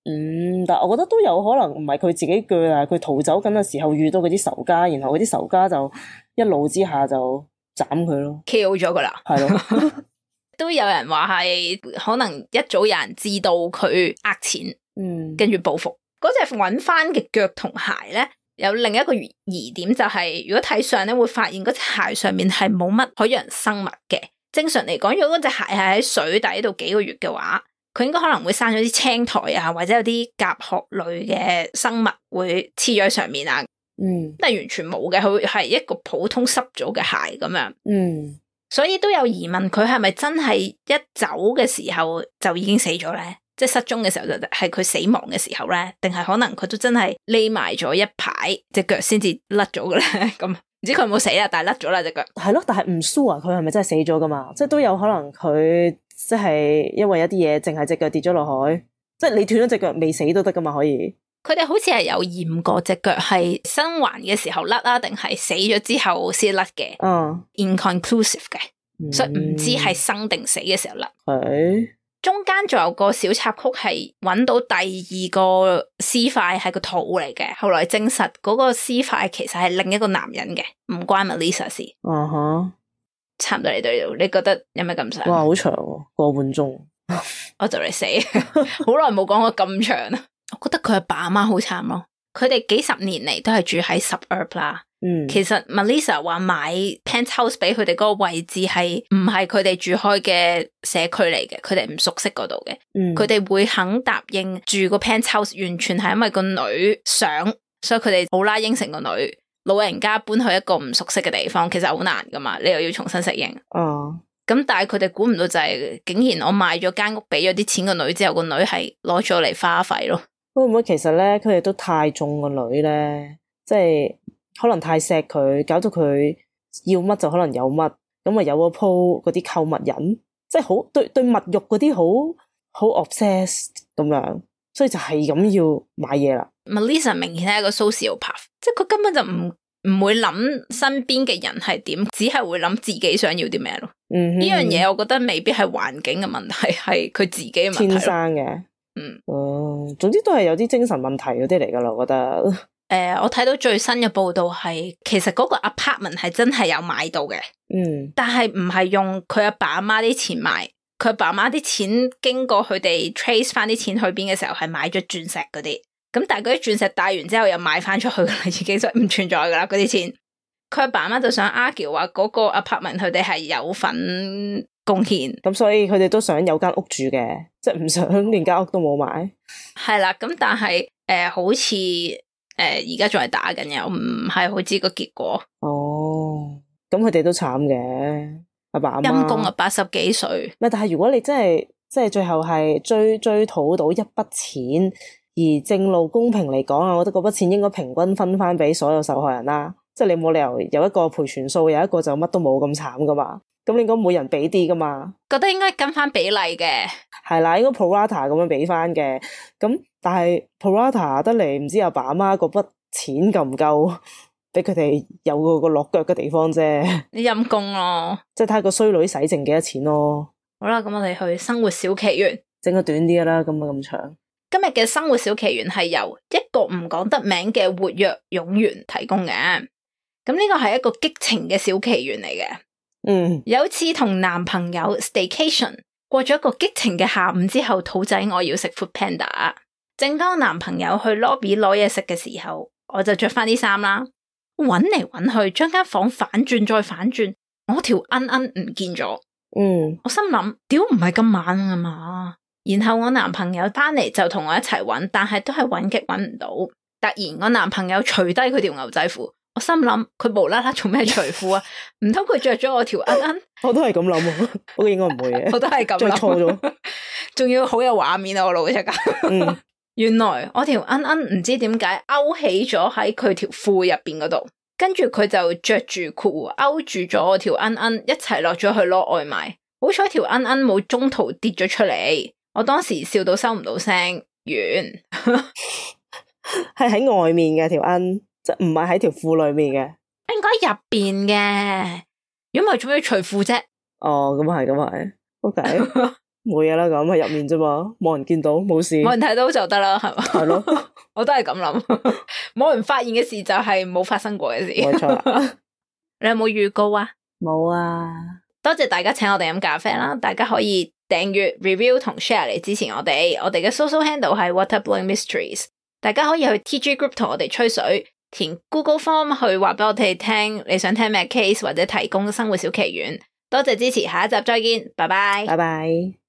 嗯，但係我覺得都有可能唔係佢自己鋸啊，佢逃走緊嘅時候遇到嗰啲仇家，然後嗰啲仇家就一怒之下就斬佢咯 ，kill 咗佢啦。係咯，都有人話係可能一早有人知道佢呃錢，嗯，跟住報復。嗰隻揾翻嘅腳同鞋咧，有另一個疑點就係、是，如果睇相咧會發現嗰隻鞋上面係冇乜海洋生物嘅。正常嚟講，如果嗰隻鞋係喺水底度幾個月嘅話，佢應該可能會生咗啲青苔啊，或者有啲甲殼類嘅生物會黐咗喺上面啊。嗯，但係完全冇嘅，佢係一個普通濕咗嘅鞋咁樣。嗯，所以都有疑問，佢係咪真係一走嘅時候就已經死咗咧？即係失蹤嘅時候就係佢死亡嘅時候咧？定係可能佢都真係匿埋咗一排隻腳先至甩咗嘅咧？咁唔知佢有冇死啦，但係甩咗啦隻腳。係咯，但係唔 sure 佢係咪真係死咗噶嘛？即係都有可能佢即係因為一啲嘢，淨係隻腳跌咗落海，即係你斷咗隻腳未死都得噶嘛？可以。佢哋好似係有驗過隻腳係生還嘅時候甩啊，定係死咗之後先甩嘅。嗯 ，inconclusive 嘅，嗯、所以唔知係生定死嘅時候甩。係中間仲有個小插曲係揾到第二個屍塊係個肚嚟嘅，後來證實嗰個屍塊其實係另一個男人嘅，唔關 Melissa 事。嗯哼，差唔多嚟到呢度，你覺得有咩感想？哇，好長喎，個半鐘，我就嚟死，好耐冇講過咁長啦。我覺得佢阿爸阿媽好慘咯，佢哋幾十年嚟都係住喺 suburb 啦。嗯，其實 Melissa 話買 penthouse 俾佢哋嗰個位置係唔係佢哋住開嘅社區嚟嘅，佢哋唔熟悉嗰度嘅。嗯，佢哋會肯答應住個 penthouse，完全係因為個女想，所以佢哋好啦應承個女。老人家搬去一個唔熟悉嘅地方，其實好難噶嘛，你又要重新適應。哦，咁但係佢哋估唔到就係、是，竟然我買咗間屋俾咗啲錢個女之後，個女係攞咗嚟花費咯。會唔會其實咧，佢哋都太縱個女咧，即係可能太錫佢，搞到佢要乜就可能有乜，咁啊有個鋪嗰啲購物癮，即係好對對物欲嗰啲好好 obsessed 咁樣，所以就係咁要買嘢啦。Melissa 明顯係一個 sociopath， 即係佢根本就唔唔會諗身邊嘅人係點，只係會諗自己想要啲咩咯。嗯，呢樣嘢我覺得未必係環境嘅問題，係佢自己嘅問題。天生嘅。嗯，哦、嗯，總之都係有啲精神問題嗰啲嚟噶啦，我覺得。誒、呃，我睇到最新嘅報道係，其實嗰個 apartment 係真係有買到嘅。嗯，但係唔係用佢阿爸阿媽啲錢買，佢阿爸阿媽啲錢經過佢哋 trace 翻啲錢去邊嘅時候，係買咗鑽石嗰啲。咁但係嗰啲鑽石戴完之後又賣翻出去啦，已經就唔存在噶啦嗰啲錢。佢阿爸阿媽就想 argue 話嗰個 apartment 佢哋係有份貢獻，咁所以佢哋都想有間屋住嘅，即係唔想連間屋都冇買。係啦，咁但係誒、呃，好似誒而家仲係打緊嘅，我唔係好知個結果。哦，咁佢哋都慘嘅，阿爸阿媽陰公啊，八十幾歲。咪但係如果你真係即係最後係追追討到一筆錢，而正路公平嚟講啊，我覺得嗰筆錢應該平均分翻俾所有受害人啦。即係你冇理由有一個賠全數，有一個就乜都冇咁慘噶嘛。咁你應該每人俾啲噶嘛？覺得應該跟翻比例嘅，係啦，應該 pro rata 咁樣俾翻嘅。咁但係 pro rata 得嚟，唔知阿爸阿媽嗰筆錢夠唔夠俾佢哋有個個落腳嘅地方啫。你陰公咯，即係睇個衰女使剩幾多錢咯。好啦，咁我哋去生活小奇園，整個短啲啦，咁啊咁長。今日嘅生活小奇園係由一個唔講得名嘅活躍勇員提供嘅。咁呢個係一個激情嘅小奇園嚟嘅。嗯，有次同男朋友 staycation 過咗一個激情嘅下午之後，肚仔我要食 food panda。正當男朋友去 lobby 攞嘢食嘅時候，我就着翻啲衫啦，搵嚟搵去，將間房反轉再反轉，我條恩恩唔見咗。嗯，我心諗屌唔係咁猛啊嘛。然後我男朋友翻嚟就同我一齊搵，但係都係搵極搵唔到。突然我男朋友除低佢條牛仔褲。我心諗佢無啦啦做咩除褲啊？唔通佢着咗我條恩恩？我都係咁諗，我應該唔會嘅。我都係咁諗，着錯咗，仲要好有畫面啊！我老實講，嗯，原來我條恩恩唔知點解勾起咗喺佢條褲入邊嗰度，跟住佢就着住褲勾住咗我條恩恩一齊落咗去攞外賣。好彩條恩恩冇中途跌咗出嚟，我當時笑到收唔到聲。完係喺外面嘅條恩，即係唔係喺條褲裏面嘅，應該入邊嘅。如果唔係，做咩要除褲啫？哦，咁係，咁係，OK，冇嘢啦，咁喺入面啫嘛，冇人見到，冇事，冇人睇到就得啦，係嘛？係咯，我都係咁諗，冇人發現嘅事就係冇發生過嘅事。冇錯。你有冇預告啊？冇啊！多謝大家請我哋飲咖啡啦，大家可以訂閱、review 同 share 嚟支持我哋。我哋嘅 social handle 係 Waterblowing Mysteries， 大家可以去 T G group 同我哋吹水，填 Google Form 去話俾我哋聽你想聽咩 case 或者提供生活小奇懸。多謝支持，下一集再見，拜拜，拜拜。